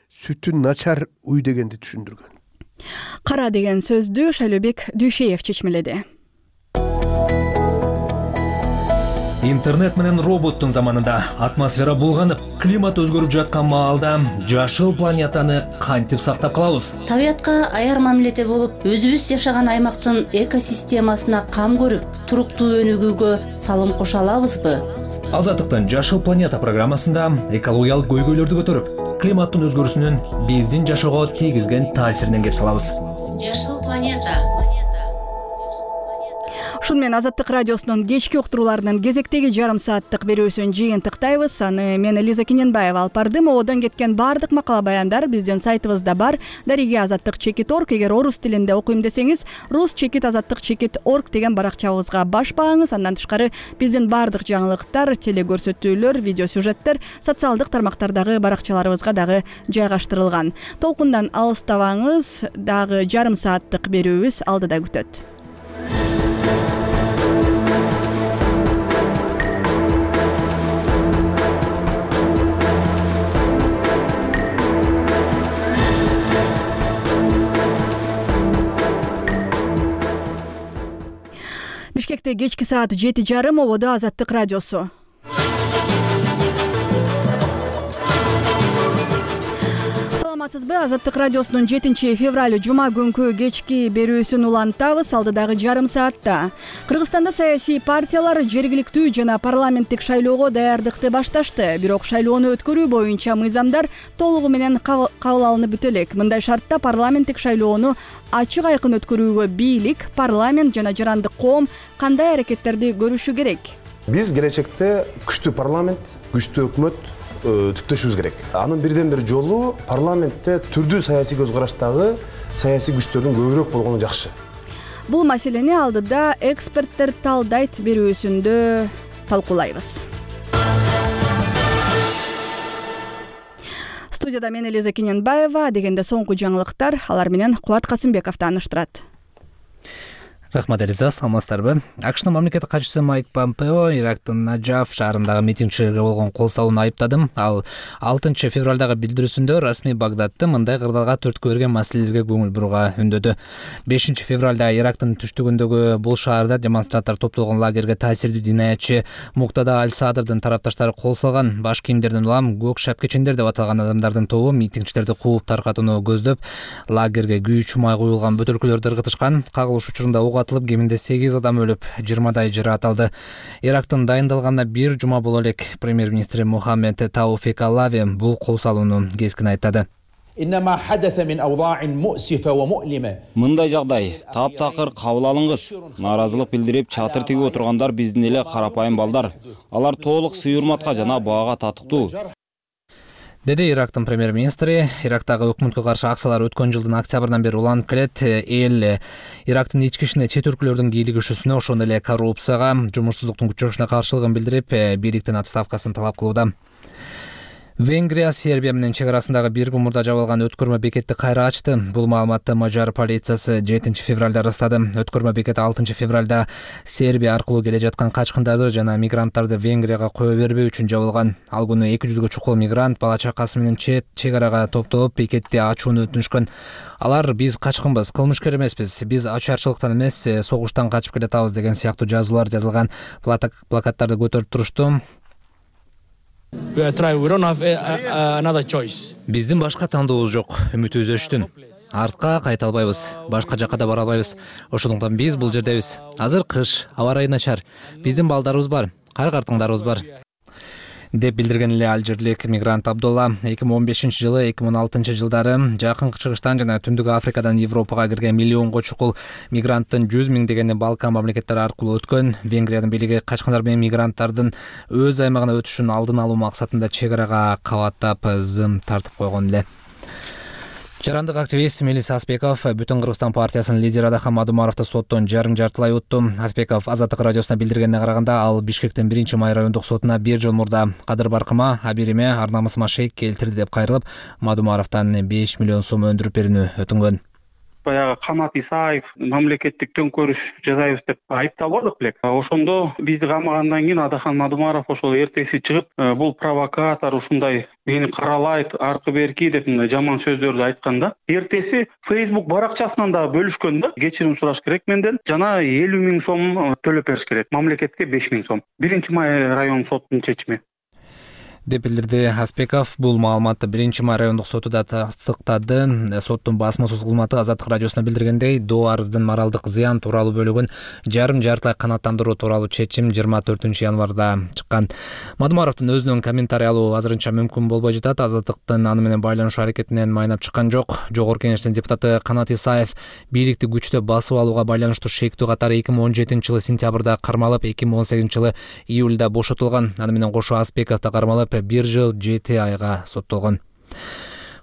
S2: сүтү начар уй дегенди түшүндүргөн.
S1: Кара деген сөздү Шөйлөбек Дүйшеев чечмеледи.
S4: Интернет менен роботтун заманында атмосфера булганып, климат өзгөрүп жаткан маалда жашыл планетаны кантип сактап калабыз?
S19: Табиятка аяр мамиледе болуп, өзүбүз жашаган аймактын экосистемасына кам көрүп, туруктуу өнүгүүгө салым кошо алабызбы?
S4: Азаттыктын Жашыл планета программасында экологиялык көйгөйлөрдү көтөрүп, климаттын өзгөрүүсүнүн биздин жашоого тийгизген таасиринен кеп салабыз.
S19: Жашыл планета.
S1: Ушун менен Азаттык радиосунун кечки уктурууларынын кезектеги жарым сааттык берүүсүн жыйынтыктайбыз. Аны мен Лиза Кененбаева алып бардым. Одон кеткен баардык макала баяндар биздин сайтыбызда бар. Дариги азаттык чекит орг. Эгер орус тилинде окуйм десеңиз, рус чекит азаттык чекит орг деген баракчабызга баш багыңыз. Андан тышкары биздин баардык жаңылыктар, телекөрсөтүүлөр, видео сюжеттер социалдык тармактардагы баракчаларыбызга дагы жайгаштырылган. Толкундан алыстабаңыз, дагы жарым сааттык берүүбүз алдыда күтөт. Бишкекте кечки саат жети жарым, ободо Азаттык радиосу. Саламатсызбы? Азаттык радиосунун жетинчи февраль жума күнкү кечки берүүсүн улантабыз. Алдыдагы жарым саатта Кыргызстанда саясий партиялар жергиликтүү жана парламенттик шайлоого даярдыкты башташты. Бирок шайлоону өткөрүү боюнча мыйзамдар толугу менен кабыл алынып бүтө элек. Мындай шартта парламенттик шайлоону ачык айкын өткөрүүгө бийлик, парламент жана жарандык коом кандай аракеттерди көрүшү керек?
S20: Биз келечекте күчтүү парламент, күчтүү өкмөт түптөшүбүз керек. Анын бирден бир жолу парламентте түрдүү саясий көз караштагы саясий күчтөрдүн көбүрөөк болгону жакшы.
S1: Бул маселени алдыда эксперттер талдайт берүүсүндө талкуулайбыз. Студияда мен Лиза Кененбаева, дегенде соңку жаңылыктар, алар менен Кубат Касымбеков тааныштырат.
S4: Рахмат Элиза, саламатсыздарбы? АКШнын мамлекеттик катчысы Майк Помпео Ирактын Наджаф шаарындагы митингчилерге болгон кол салууну айыптады. Ал алтынчы февралдагы билдирүүсүндө расмий Багдадты мындай кырдаалга түрткү берген маселелерге көңүл бурууга үндөдү. бешинчи февралда Ирактын түштүгүндөгү бул шаарда демонстранттар топтолгон лагерге таасирдүү динаятчы Муктада Аль-Садырдын тарапташтары кол салган. Баш кийимдерден улам көк шапкечендер деп аталган адамдардын тобу митингчилерди кууп таркатууну көздөп, лагерге күйүүчү май куюлган бөтөлкөлөрдү ыргытышкан. Кагылыш учурунда ок атылып, кеминде сегиз адам өлүп, жыйырмадай жараталды. Ирактын дайындалганына бир жума боло элек. Премьер-министри Мухаммед Тауфик Аллави бул кол салууну кескин айтады.
S21: Мындай жагдай таптакыр кабыл алынгыс. Нааразылык билдирип чатыр тигип отургандар биздин эле карапайым балдар. Алар толук сый-урматка жана баага татыктуу.
S4: Деди Ирактын премьер-министри. Ирактагы өкмөткө каршы акциялар өткөн жылдын октябрынан бери уланып келет. Эл Ирактын ички ишине чет өлкөлөрдүн кийлигишүүсүнө, ошондой эле коррупцияга, жумушсуздуктун күчөшүнө каршылыгын билдирип, бийликтин отставкасын талап кылууда. Венгрия Сербия менен чек арасындагы бир мурда жабылган өткөрмө бекетти кайра ачты. Бул маалыматты Мажар полициясы жетинчи февралда ырастады. Өткөрмө бекет алтынчы февралда Сербия аркылуу келе жаткан качкындарды жана мигранттарды Венгрияга кое бербөө үчүн жабылган. Ал күнү эки жүзгө чукул мигрант бала чакасы менен чет чек арага топтолуп бекетти ачууну өтүнүшкөн. Алар биз качкынбыз, кылмышкер эмеспиз, биз ачарчылыктан эмес, согуштан качып келатабыз деген сыяктуу жазуулар жазылган плакаттарды көтөрүп турушту. Биздин башка тандообуз жок, үмүтүбүз өчтүн. Артка кайта албайбыз, башка жакка да бара албайбыз. Ошондуктан биз бул жердебиз. Азыр кыш, аба ырайы начар. Биздин балдарыбыз бар, кар-картыңдарыбыз бар. деп билдирген эле алжирлик мигрант Абдулла. эки миң он бешинчи жылы эки миң он алтынчы жылдары жакын чыгыштан жана түндүк Африкадан Европага кирген миллионго чукул мигранттын жүз миңдегени Балкан мамлекеттери аркылуу өткөн. Венгриянын бийлиги качкындар менен мигранттардын өз аймагына өтүшүн алдын алуу максатында чек арага кабаттап зым тартып койгон эле. Жарандык активист Мелис Аспеков Бүтүн Кыргызстан партиясынын лидери Адахан Мадумаровду соттон жарым жартылай утту. Аспеков Азаттык радиосуна билдиргенине караганда, ал Бишкектин биринчи май райондук сотуна бир жыл мурда кадыр баркыма, абириме, ар намысыма шейк келтирди деп кайрылып, Мадумаровдон беш миллион сом өндүрүп берүүнү өтүнгөн.
S22: Баягы Канат Исаев мамлекеттик төңкөрүш жасайбыз деп айыпталбадык белек. Ошондо бизди камагандан кийин Адахан Мадумаров ошол эртеси чыгып, бул провокатор, ушундай мени каралайт, аркы берки деп жаман сөздөрдү айткан да. Эртеси Facebook баракчасынан да бөлүшкөн да. Кечирим сураш керек менден. Жана элүү миң сом төлөп бериш керек. Мамлекетке беш миң сом. биринчи май район сотунун чечими.
S4: деп билдирди Аспеков. Бул маалыматты биринчи май райондук сотуда тастыктады. Соттун басма-сөз кызматы Азаттык радиосуна билдиргендей, доо арыздын моралдык зыян тууралуу бөлүгүн жарым жартылай канааттандыруу тууралуу чечим жыйырма төртүнчү январда чыккан. Мадумаровдун өзүнүн комментарий алуу азырынча мүмкүн болбой жатат. Азаттыктын аны менен байланышуу аракетинен майнап чыккан жок. Жогорку Кеңештин депутаты Канат Исаев бийликти күчтө басып алууга байланыштуу шектүү катары эки миң он жетинчи жылы сентябрда кармалып, эки миң он сегизинчи жылы июлда бошотулган. Аны менен кошо Аспеков да кармалып бир жыл жети айга соттолгон.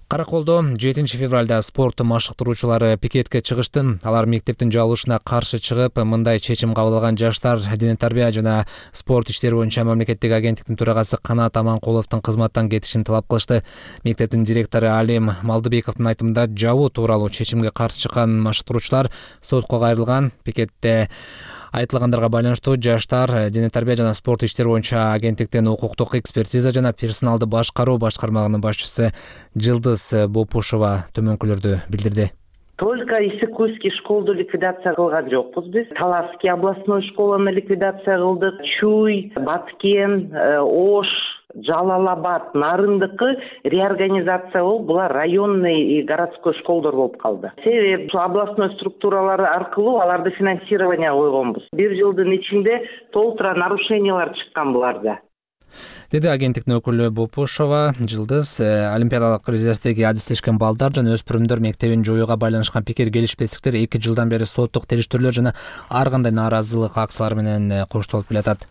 S4: Караколдо жетинчи февралда спорт машыктыруучулары пикетке чыгышты. Алар мектептин жабылышына каршы чыгып, мындай чечим кабыл алган жаштар Дене тарбия жана спорт иштери боюнча мамлекеттик агенттиктин төрагасы Канат Аманкуловдун кызматтан кетишин талап кылышты. Мектептин директору Алим Малдыбековдун айтымында, жабуу тууралуу чечимге каршы чыккан машыктыруучулар сотко кайрылган. Пикетте айтылгандарга байланыштуу жаштар Дене тарбия жана спорт иштери боюнча агенттиктин укуктук экспертиза жана персоналды башкаруу башкармалыгынын башчысы Жылдыз Бопушова төмөнкүлөрдү билдирди.
S6: Только Исыкульский школду ликвидация кылган жокпуз биз. Талаский областной школаны ликвидация кылдык. Чуй, Баткен, Ош, Жалалабад, Нарындыкы реорганизация болуп, булар районный и городской школдор болуп калды. Себеби областной структуралары аркылуу аларды финансирование койгонбуз. Бир жылдын ичинде толтура нарушениялар чыккан буларда.
S4: Деди агенттиктин өкүлү Бопушова. Жылдыз олимпиадалык резервдеги адистешкен балдар жана өспүрүмдөр мектебин жоюуга байланышкан пикир келишпестиктер эки жылдан бери соттук териштирүүлөр жана ар кандай нааразылык акциялары менен коштолуп келатат.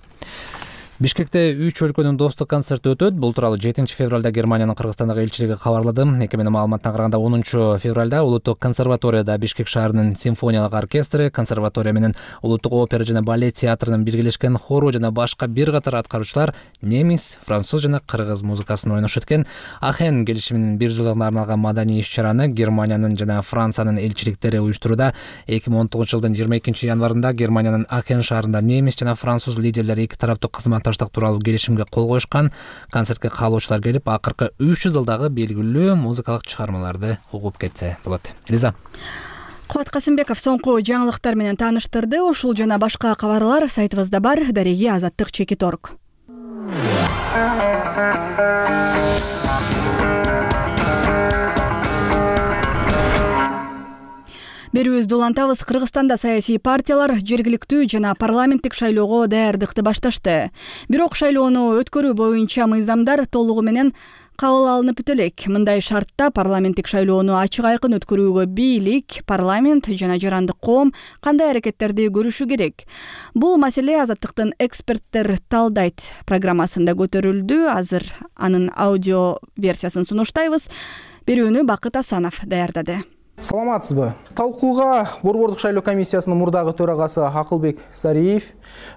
S4: Бишкекте үч өлкөнүн достук концерти өтөт. Бул тууралуу жетинчи февралда Германиянын Кыргызстандагы элчилиги кабарлады. Экеменин маалыматына караганда онунчу февралда Улуттук консерваторияда Бишкек шаарынын симфониялык оркестри, консерватория менен Улуттук опера жана балет театрынын биргелешкен хору жана башка бир катар аткаруучулар немис, француз жана кыргыз музыкасын ойношот экен. Ахен келишиминин бир жылдыгына арналган маданий иш-чараны Германиянын жана Франциянын элчиликтери уюштурууда. эки миң он тогузунчу жылдын жыйырма экинчи январында Германиянын Ахен шаарында немис жана француз лидерлери эки тараптуу кызмат тууралуу келишимге кол коюшкан. Концертке каалоочулар келип, акыркы үч жүз жылдагы белгилүү музыкалык чыгармаларды угуп кетсе болот. Риза.
S1: Кубат Касымбеков соңку жаңылыктар менен тааныштырды. Ушул жана башка кабарлар сайтыбызда бар. Дареги Азаттык чекит точка орг. Берүүбүздү улантабыз. Кыргызстанда саясий партиялар жергиликтүү жана парламенттик шайлоого даярдыкты башташты. Бирок шайлоону өткөрүү боюнча мыйзамдар толугу менен кабыл алынып бүтө элек. Мындай шартта парламенттик шайлоону ачык айкын өткөрүүгө бийлик, парламент жана жарандык коом кандай аракеттерди көрүшү керек? Бул маселе Азаттыктын эксперттер талдайт программасында көтөрүлдү. Азыр анын аудио версиясын сунуштайбыз. Берүүнү Бакыт Асанов даярдады.
S8: Саламатсызбы? Талкууга Борбордук шайлоо комиссиясынын мурдагы төрагасы Акылбек Сариев,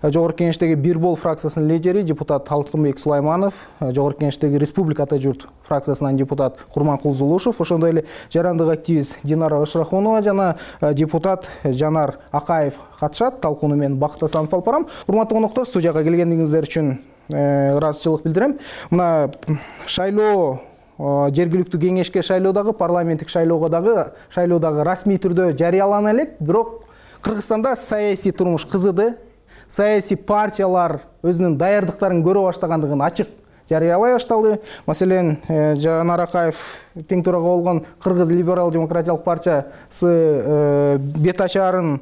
S8: Жогорку Кеңештеги Бир бол фракциясынын лидери депутат Алтынбек Сулайманов, Жогорку Кеңештеги Республика Ата журт фракциясынан депутат Курманкул Зулушев, ошондой эле жарандык активист Динара Ышрахунова жана депутат Жанар Акаев катышат. Талкууну мен Бакыт Асанов алып барам. Урматтуу коноктор, студияга келгениңиздер үчүн ыраазычылык билдирем. Мына шайлоо жергиликтүү кеңешке шайлоо дагы, парламенттик шайлоого дагы, шайлоо дагы расмий түрдө жарыялана элек. Бирок Кыргызстанда саясий турмуш кызыды. Саясий партиялар өзүнүн даярдыктарын көрө баштагандыгын ачык жарыялай башталды. Маселен, Жанар Акаев тең төрага болгон Кыргыз либерал демократиялык партиясы бет ачаарын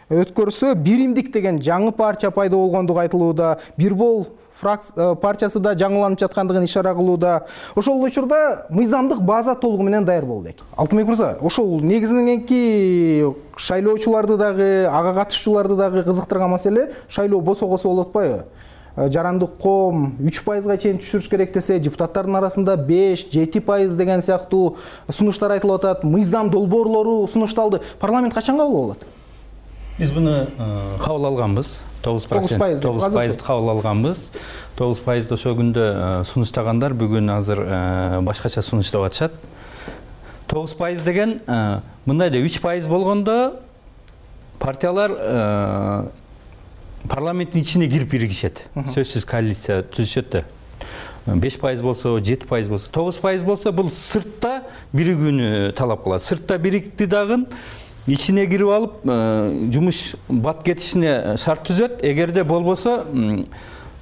S8: өткөрсө, Биримдик деген жаңы партия пайда болгондугу айтылууда. Бир бол партиясы да жаңыланып жаткандыгын ишара кылууда. Ошол учурда мыйзамдык база толугу менен даяр болду. Алтынбек мырза, ошол негизиненки шайлоочуларды дагы, ага катышуучуларды дагы кызыктырган маселе шайлоо босогосо болуп атпайбы? Жарандык коом үч пайызга чейин түшүрүш керек десе, депутаттардын арасында беш жети пайыз деген сыяктуу сунуштар айтылып атат. Мыйзам долбоорлору сунушталды. Парламент качан кабыл алат?
S23: Биз буну кабыл алганбыз. тогуз пайызды кабыл алганбыз. тогуз пайызды ошол күндө сунуштагандар бүгүн азыр башкача сунуштап атышат. тогуз пайыз деген мындай да үч пайыз болгондо партиялар парламенттин ичине кирип биригишет. Сөзсүз коалиция түзүшөт да. беш пайыз болсо, жети пайыз болсо, тогуз пайыз болсо бул сыртта биригүүнү талап кылат. Сыртта бирикти дагы ичине кирип алып, жумуш бат кетишине шарт түзөт. Эгерде болбосо,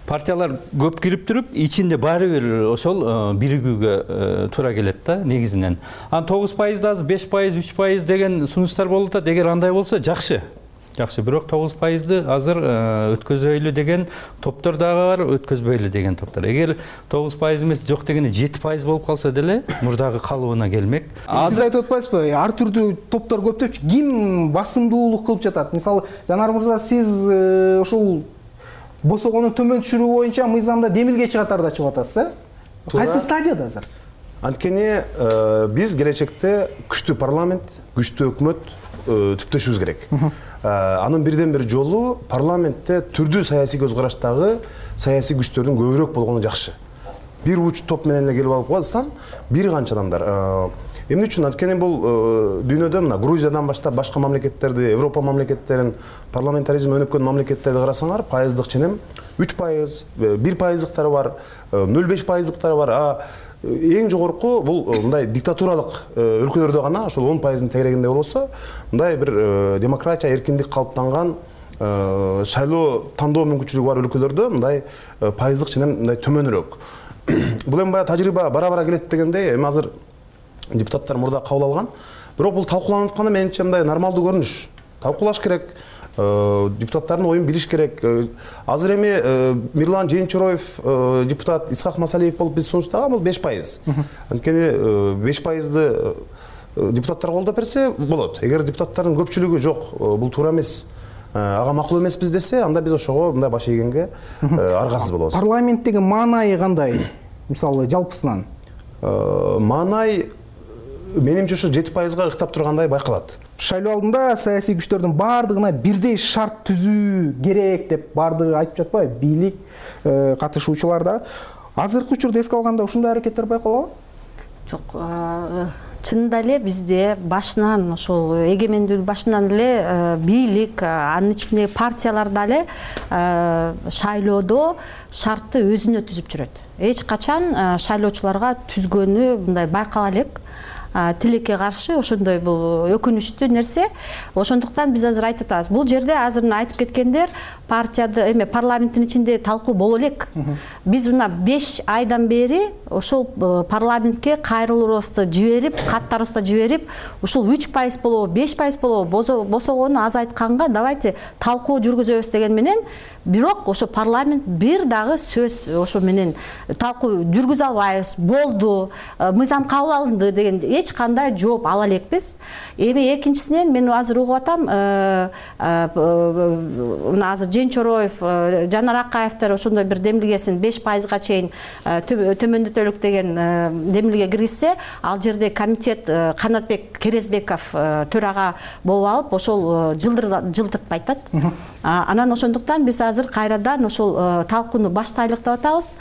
S23: партиялар көп кирип туруп ичинде баары бир ошол биригүүгө туура келет да негизинен. Анан тогуз пайызды азыр беш пайыз, үч пайыз деген сунуштар болуп атат. Эгер андай болсо жакшы. Жакшы, бирок тогуз пайызды азыр өткөзөйлү деген топтор дагы бар, өткөзбөйлү деген топтор. Эгер тогуз пайыз эмес, жок дегенде жети пайыз болуп калса деле мурдагы калыбына келмек.
S8: Сиз айтып атпайсызбы? Ар түрдүү топтор көптөп, ким басымдуулук кылып жатат? Мисалы, Жанар мырза, сиз ушул босогонун төмөн түшүрүү боюнча мыйзамда демилгечи катарда чыгып атасыз, э? Кайсы стадияда азыр?
S20: Анткени биз келечекте күчтүү парламент, күчтүү өкмөт түптөшүбүз керек. Анын бирден бир жолу парламентте түрдүү саясий көз караштагы саясий күчтөрдүн көбүрөөк болгону жакшы. Бир уч топ менен эле келип алып калсаң, бир канча адамдар. Эмне үчүн? Анткени бул дүйнөдө мына Грузиядан баштап башка мамлекеттерди, Европа мамлекеттерин, парламентаризм өнүккөн мамлекеттерди карасаңар, пайыздык ченем үч пайыз, бир пайыздыктары бар, нөл беш пайыздыктары бар. А эң жогорку бул мындай диктатуралык өлкөлөрдө гана ошол он пайыздын тегерегинде болсо, мындай бир демократия, эркиндик калыптанган, шайлоо тандоо мүмкүнчүлүгү бар өлкөлөрдө мындай пайыздык ченем мындай төмөнүрөөк. Бул эми баягы тажрыйба бара-бара келет дегендей, эми азыр депутаттар мурда кабыл алган. Бирок бул талкууланып атканда менимче мындай нормалдуу көрүнүш. Талкуулаш керек. Депутаттардын оюн билиш керек. Азыр эми Мирлан Жээнчороев депутат, Исхак Масалиев болуп биз сунуштаган бул беш пайыз. Анткени беш пайызды депутаттар колдоп берсе болот. Эгер депутаттардын көпчүлүгү жок, бул туура эмес, ага макул эмеспиз десе, анда биз ошого мындай баш ийгенге аргасыз болобуз.
S8: Парламенттеги маанайы кандай? Мисалы, жалпысынан
S20: маанай менимче ушу жети пайызга ыктап тургандай байкалат.
S8: Шайлоо алдында саясий күчтөрдүн баардыгына бирдей шарт түзүү керек деп баардыгы айтып жатпайбы? Бийлик, катышуучулар да. Азыркы учурда эске алганда ушундай аракеттер байкалабы?
S5: Жок, чынында эле бизде башынан ошол эгемендүүлүк башынан эле бийлик, анын ичинде партиялар дале шайлоодо шартты өзүнө түзүп жүрөт. Эч качан шайлоочуларга түзгөнү мындай байкала элек. Тилекке каршы ошондой бул өкүнүчтүү нерсе. Ошондуктан биз азыр айтып атабыз. Бул жерде азыр айтып кеткендер партияда эме парламенттин ичинде талкуу боло элек. Биз мына беш айдан бери ошол парламентке кайрылуубузду жиберип, каттарыбызды жиберип, ушул үч пайыз болобу, беш пайыз болобу босогону азайтканга давайте талкуу жүргүзөбүз деген менен, бирок ошо парламент бир дагы сөз ошо менен талкуу жүргүзө албайбыз, болду, мыйзам кабыл алынды деген эч кандай жооп ала элекпиз. Эми экинчисинен мен азыр угуп атам, мына азыр Жээнчороев, Жанар Акаевдер ошондой бир демилгесин беш пайызга чейин төмөндөтөлүк деген демилге киргизсе, ал жерде комитет Канатбек Керезбеков төрага болуп алып, ошол жылдыртпайт атат. Анан ошондуктан биз азыр кайрадан ошол талкууну баштайлык деп атабыз.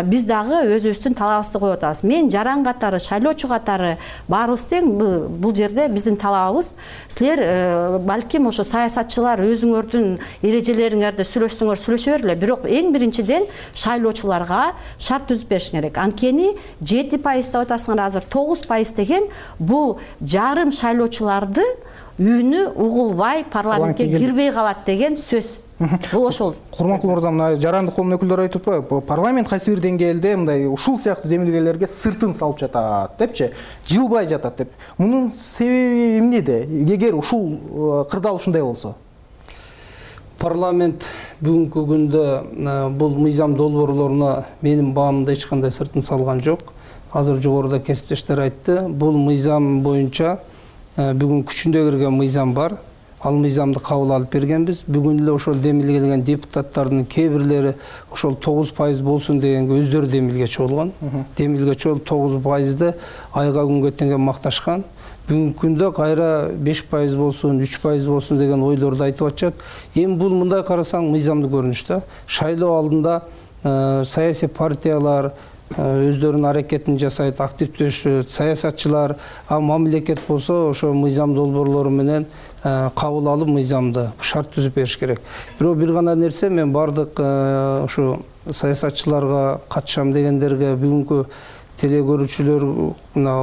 S5: Биз дагы өзүбүздүн талабыбызды коюп атабыз. Мен жаран катары, шайлоочу катары баарыбыз тең, бул жерде биздин талабыбыз. Силер балким ошо саясатчылар өзүңөрдүн эрежелериңерди сүйлөшсөңөр сүйлөшө бергиле, бирок эң биринчиден шайлоочуларга шарт түзүп бериш керек. Анткени жети пайыз деп атасыңар, азыр тогуз пайыз деген бул жарым шайлоочуларды үнү угулбай парламентке кирбей калат деген сөз. Бул ошол.
S8: Курманкул мырза, мына жарандык коомдун өкүлдөрү айтып атпайбы? Парламент кайсы бир деңгээлде мындай ушул сыяктуу демилгелерге сыртын салып жатат депчи, жылбай жатат деп. Мунун себеби эмнеде? Эгер ушул кырдаал ушундай болсо?
S7: Парламент бүгүнкү күндө бул мыйзам долбоорлоруна менин баамымда эч кандай сыртын салган жок. Азыр жогоруда кесиптештер айтты. Бул мыйзам боюнча бүгүн күчүндө кирген мыйзам бар. Ал мыйзамды кабыл алып бергенбиз. Бүгүн эле ошол демилгелеген депутаттардын кээ бирлери ошол тогуз пайыз болсун дегенге өздөрү демилгечи болгон. Демилгечи болуп тогуз пайызды айга күнгө теңге макташкан. Бүгүнкү күндө кайра беш пайыз болсун, үч пайыз болсун деген ойлорду айтып атышат. Эми бул мындай карасаң мыйзамдуу көрүнүш да. Шайлоо алдында саясий партиялар өздөрүнүн аракетин жасайт, активдешет, саясатчылар, а мамлекет болсо ошо мыйзам долбоорлору менен кабыл алып мыйзамды шарт түзүп бериш керек. Бирок бир гана нерсе, мен бардык ошо саясатчыларга катышам дегендерге, бүгүнкү теле көрүүчүлөр, мына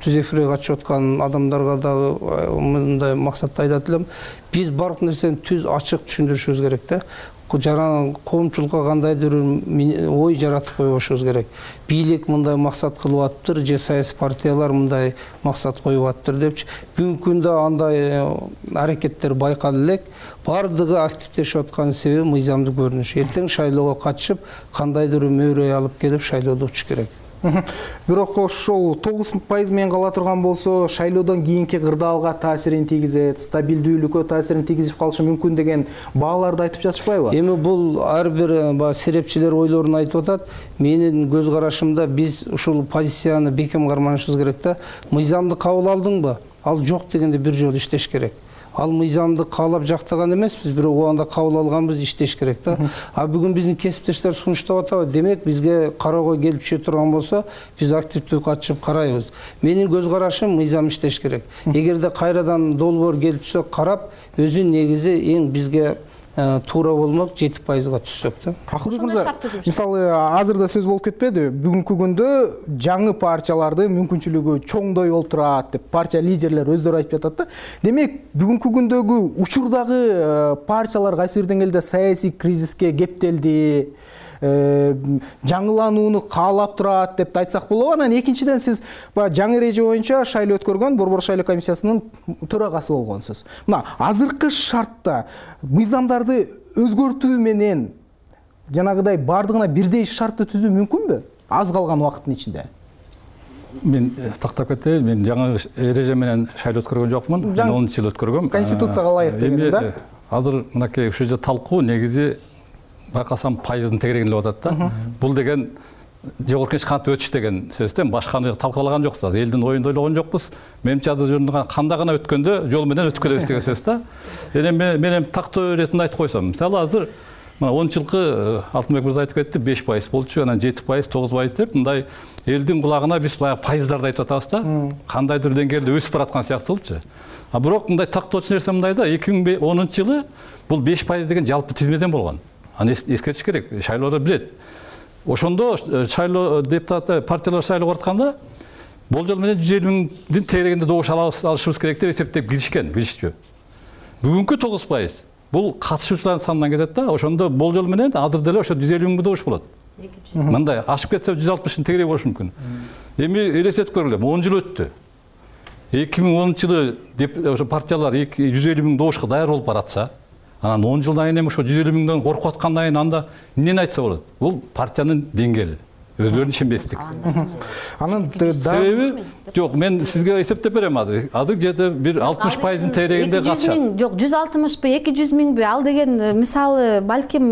S7: түз эфирге катышып аткан адамдарга дагы мындай максатта айтат элем. Биз бардык нерсени түз ачык түшүндүрүшүбүз керек да. Жаран коомчулукка кандайдыр ой жаратып койбошубуз керек. Бийлик мындай максат кылып атыптыр, же саясий партиялар мындай максат коюп атыптыр депчи. Бүгүнкү күндө андай аракеттер байкалып элек. Бардыгы активдешип аткан себеби мыйзамдуу көрүнүш. Эртең шайлоого катышып, кандайдыр мөөрөй алып келип шайлоодо учуш керек.
S8: Бирок ошол тогуз пайыз менен кала турган болсо, шайлоодон кийинки кырдаалга таасирин тийгизет, стабилдүүлүккө таасирин тийгизип калышы мүмкүн деген бааларды айтып жатышпайбы?
S7: Эми бул ар бир серепчилер ойлорун айтып атат. Менин көз карашымда биз ушул позицияны бекем карманышыбыз керек да. Мыйзамды кабыл алдыңбы? Ал жок дегенде бир жолу иштеш керек. Ал мыйзамды каалап жактаган эмеспиз, бирок убагында кабыл алганбыз, иштеш керек да. А бүгүн биздин кесиптештер сунуштап атабы? Демек бизге кароого келип түшө турган болсо, биз активдүү катышып карайбыз. Менин көз карашым мыйзам иштеш керек. Эгерде кайрадан долбоор келип түшсө, карап, өзүнүн негизи эң бизге туура болмок жети пайызга түшсөк да.
S8: Акылбек мырза, мисалы азыр да сөз болуп кетпеди? Бүгүнкү күндө жаңы партиялардын мүмкүнчүлүгү чоңдой болуп турат деп партия лидерлери өздөрү айтып жатат да. Демек, бүгүнкү күндөгү учурдагы партиялар кайсы бир деңгээлде саясий кризиске кептелди, жаңыланууну каалап турат деп айтсак болобу. Анан экинчиден сиз жаңы эреже боюнча шайлоо өткөргөн Борбор шайлоо комиссиясынын төрагасы болгонсуз. Мына азыркы шартта мыйзамдарды өзгөртүү менен жанагыдай бардыгына бирдей шартты түзүү мүмкүнбү? Аз калган убакыттын ичинде.
S23: Мен тактап кетейин, мен жаңы эреже менен шайлоо өткөргөн жокмун. Мен онунчу жыл өткөргөм.
S8: Конституцияга ылайык деген да.
S23: Азыр мынакей ушул жерде талкуу негизи байкасам пайыздын тегерегинде атат да. Бул деген жогорку кеңеш кантип өтүш деген сөздөн башканы талкуулаган жоксуз. Элдин оюн ойлогон жокпуз. Менимче азыр кандай гана өткөндө жол менен өтүп келебиз деген сөз да. Эми мен тактоо иретинде айтып койсом, мисалы азыр мына онунчу жылкы Алтынбек мырза айтып кетти, беш пайыз болчу, анан жети пайыз, тогуз пайыз деп мындай элдин кулагына биз баягы пайыздарды айтып атабыз да. Кандайдыр деңгээлде өсүп бараткан сыяктуу болчу. А бирок мындай тактоочу нерсе мындай да, эки миң онунчу жылы бул беш пайыз деген жалпы тизмеден болгон. Аны эскертиш керек, шайлоодо билет. Ошондо шайлоо депутат партиялар шайлоого баратканда болжол менен жүз элүү миңдин тегерегинде добуш алышыбыз керек деп эсептеп киришкен, билишчү. Бүгүнкү тогуз пайыз бул катышуучулардын санынан кетет да. Ошондо болжол менен азыр деле ошо жүз элүү миң добуш болот. Мындай ашып кетсе жүз алтымыштын тегереги болушу мүмкүн. Эми элестетип көргүлө, он жыл өттү. эки миң онунчу жылы ошо партиялар жүз элүү миң добушка даяр болуп баратса, анан он жылдан кийин эми ошо жүз элүү миңден коркуп аткандан кийин анда эмнени айтса болот? Бул партиянын деңгээли, өздөрүнүн ишенбестик. Анан себеби жок, мен сизге эсептеп берем азыр. Азыр где-то бир алтымыш пайыздын тегерегинде катышат.
S5: Жок, жүз алтымышпы, эки жүз миңби? Ал деген мисалы балким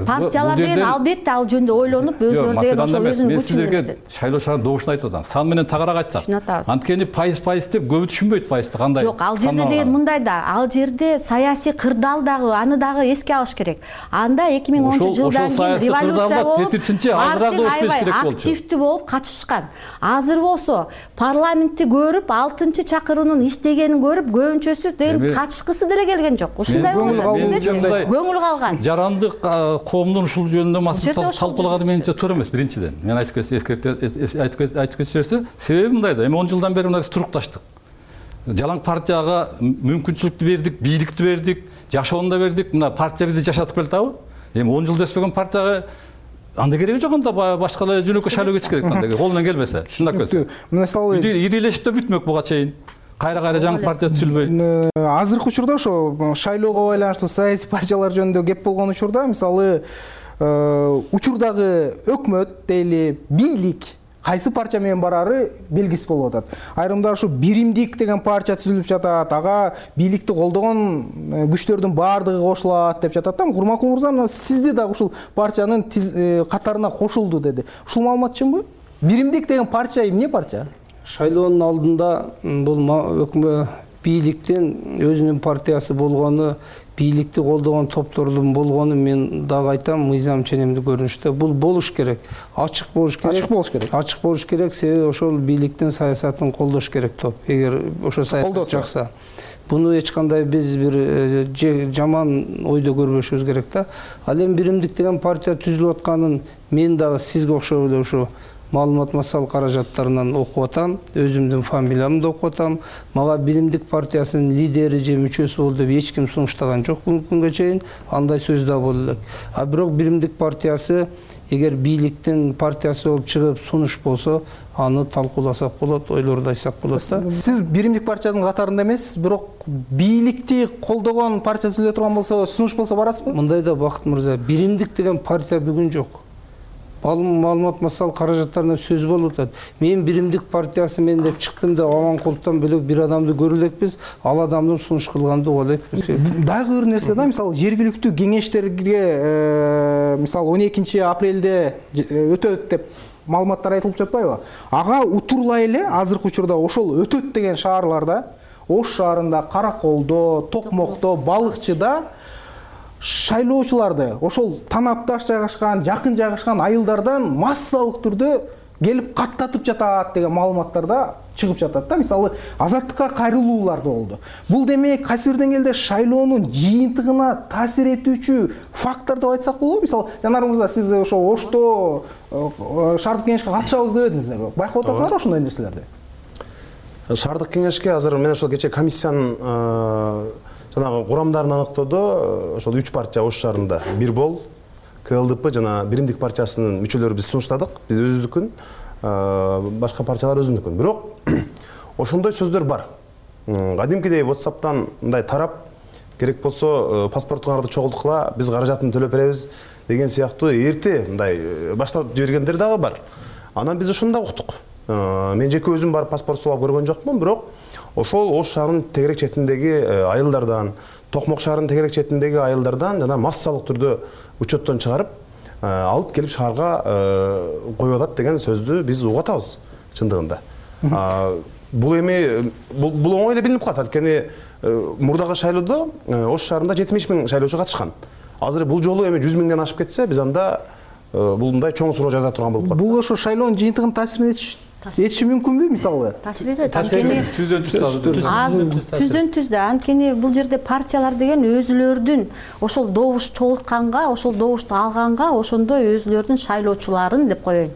S5: партиялар деген албетте ал жөнүндө ойлонуп, өздөрү деген ошо өзүнүн
S23: күчүн. Мен силерге шайлоочулардын добушун айтып атам. Сан менен тагарак айтсак. Анткени пайыз пайыз деп көбү түшүнбөйт пайызды кандай.
S5: Жок, ал жерде деген мындай да, ал жерде саясий кырдаал дагы, аны дагы эске алыш керек. Анда эки миң онунчу жылдан кийин революция болуп, активдүү болуп катышкан. Азыр болсо парламентти көрүп, алтынчы чакыруунун иштегенин көрүп, көбүнчөсү деген катышкысы деле келген жок. Ушундай болду биздечи. Көңүл калган.
S23: Жарандык коомдун ушул жөнүндө маселе талкуулаганы менимче туура эмес, биринчиден. Мен айтып кетсем, айтып кетсем, себеби мындай да. Эми он жылдан бери мына биз турукташтык. Жалаң партияга мүмкүнчүлүктү бердик, бийликти бердик, жашоону да бердик. Мына партия бизди жашатып келатабы? Эми он жыл өспөгөн партияга анда кереги жок, анда башка эле жөнөкөй шайлоо кетиш керек анда, колунан келбесе. Чындап келсе.
S8: Мисалы
S23: ирилешип да бүтмөк буга чейин. Кайра-кайра жаңы партия түзүлбөй.
S8: Азыркы учурда ошо шайлоого байланыштуу саясий партиялар жөнүндө кеп болгон учурда, мисалы учурдагы өкмөт дейли, бийлик кайсы партия менен барары белгисиз болуп атат. Айрымдар ушу биримдик деген партия түзүлүп жатат, ага бийликти колдогон күчтөрдүн баардыгы кошулат деп жатат да. Курманкул мырза, мына сизди дагы ушул партиянын катарына кошулду деди. Ушул маалымат чынбы? Биримдик деген партия эмне партия?
S7: Шайлоонун алдында бул өкмөт бийликтин өзүнүн партиясы болгону, бийликти колдогон топтордун болгону мен дагы айтам, мыйзам ченемдүү көрүнүштө бул болуш керек. Ачык болуш керек.
S8: Ачык болуш керек.
S7: Ачык болуш керек, себеби ошол бийликтин саясатын колдош керек топ. Эгер ошо саясат жакса, буну эч кандай биз бир жаман ойдо көрбөшүбүз керек да. Ал эми биримдик деген партия түзүлүп атканын мен дагы сизге окшоп эле ушу маалымат массалык каражаттарынан окуп атам, өзүмдүн фамилиямды окуп атам. Мага Биримдик партиясынын лидери же мүчөсү бол деп эч ким сунуштаган жок бүгүнкү күнгө чейин. Андай сөз да боло элек. А бирок Биримдик партиясы эгер бийликтин партиясы болуп чыгып сунуш болсо, аны талкууласак болот, ойлорду айтсак болот да.
S8: Сиз Биримдик партиянын катарында эмес, бирок бийликти колдогон партия түзүлө турган болсо, сунуш болсо барасызбы?
S7: Мындай да Бакыт мырза, Биримдик деген партия бүгүн жок. Маалымат массалык каражаттарына сөз болуп атат. Мен Биримдик партиясы мен деп чыктым да Аманкуловдон бөлөк бир адамды көрө элекпиз, ал адамдын сунуш кылганды уга элекпиз.
S8: Дагы бир нерсе да, мисалы жергиликтүү кеңештерге мисалы он экинчи апрелде өтөт деп маалыматтар айтылып жатпайбы? Ага утурлай эле азыркы учурда ошол өтөт деген шаарларда, Ош шаарында, Караколдо, Токмокто, Балыкчыда шайлоочуларды ошол танапташ жайгашкан, жакын жайгашкан айылдардан массалык түрдө келип каттатып жатат деген маалыматтарда чыгып жатат да. Мисалы азаттыкка кайрылуулар да болду. Бул демек кайсы бир деңгээлде шайлоонун жыйынтыгына таасир этүүчү фактор деп айтсак болобу? Мисалы жанар мырза, сиз ошо Ошто шаардык кеңешке катышабыз деп едиңиздер. Байкап атасыңар ошондой нерселерди?
S20: Шаардык кеңешке азыр мен ошол кечээ комиссиянын жанагы курамдарын аныктоодо ошол үч партия Ош шаарында бир бол, КЛДП жана Биримдик партиясынын мүчөлөрү биз сунуштадык. Биз өзүбүздүкүн, башка партиялар өзүнүкүн. Бирок ошондой сөздөр бар. Кадимкидей WhatsApp'тан мындай тарап, керек болсо паспортуңарды чогулткыла, биз каражатын төлөп беребиз деген сыяктуу эрте мындай баштап жибергендер дагы бар. Анан биз ошону да уктук. Мен жеке өзүм барып паспорт сулап көргөн жокмун, бирок ошол Ош шаарынын тегерек четиндеги айылдардан, Токмок шаарынын тегерек четиндеги айылдардан жана массалык түрдө учеттон чыгарып, алып келип шаарга коюп атат деген сөздү биз угуп атабыз чындыгында. Бул эми бул оңой эле билинип калат, анткени мурдагы шайлоодо Ош шаарында жетимиш миң шайлоочу катышкан. Азыр бул жолу эми жүз миңден ашып кетсе, биз анда бул мындай чоң суроо жайда турган болуп калат.
S8: Бул ошо шайлоонун жыйынтыгын таасир этиши мүмкүнбү мисалы?
S5: Таасир этет. Анткени түздөн түз да. Анткени бул жерде партиялар деген өзүлөрдүн ошол добуш чогултканга, ошол добушту алганга, ошондой өзүлөрдүн шайлоочуларын деп коеюн,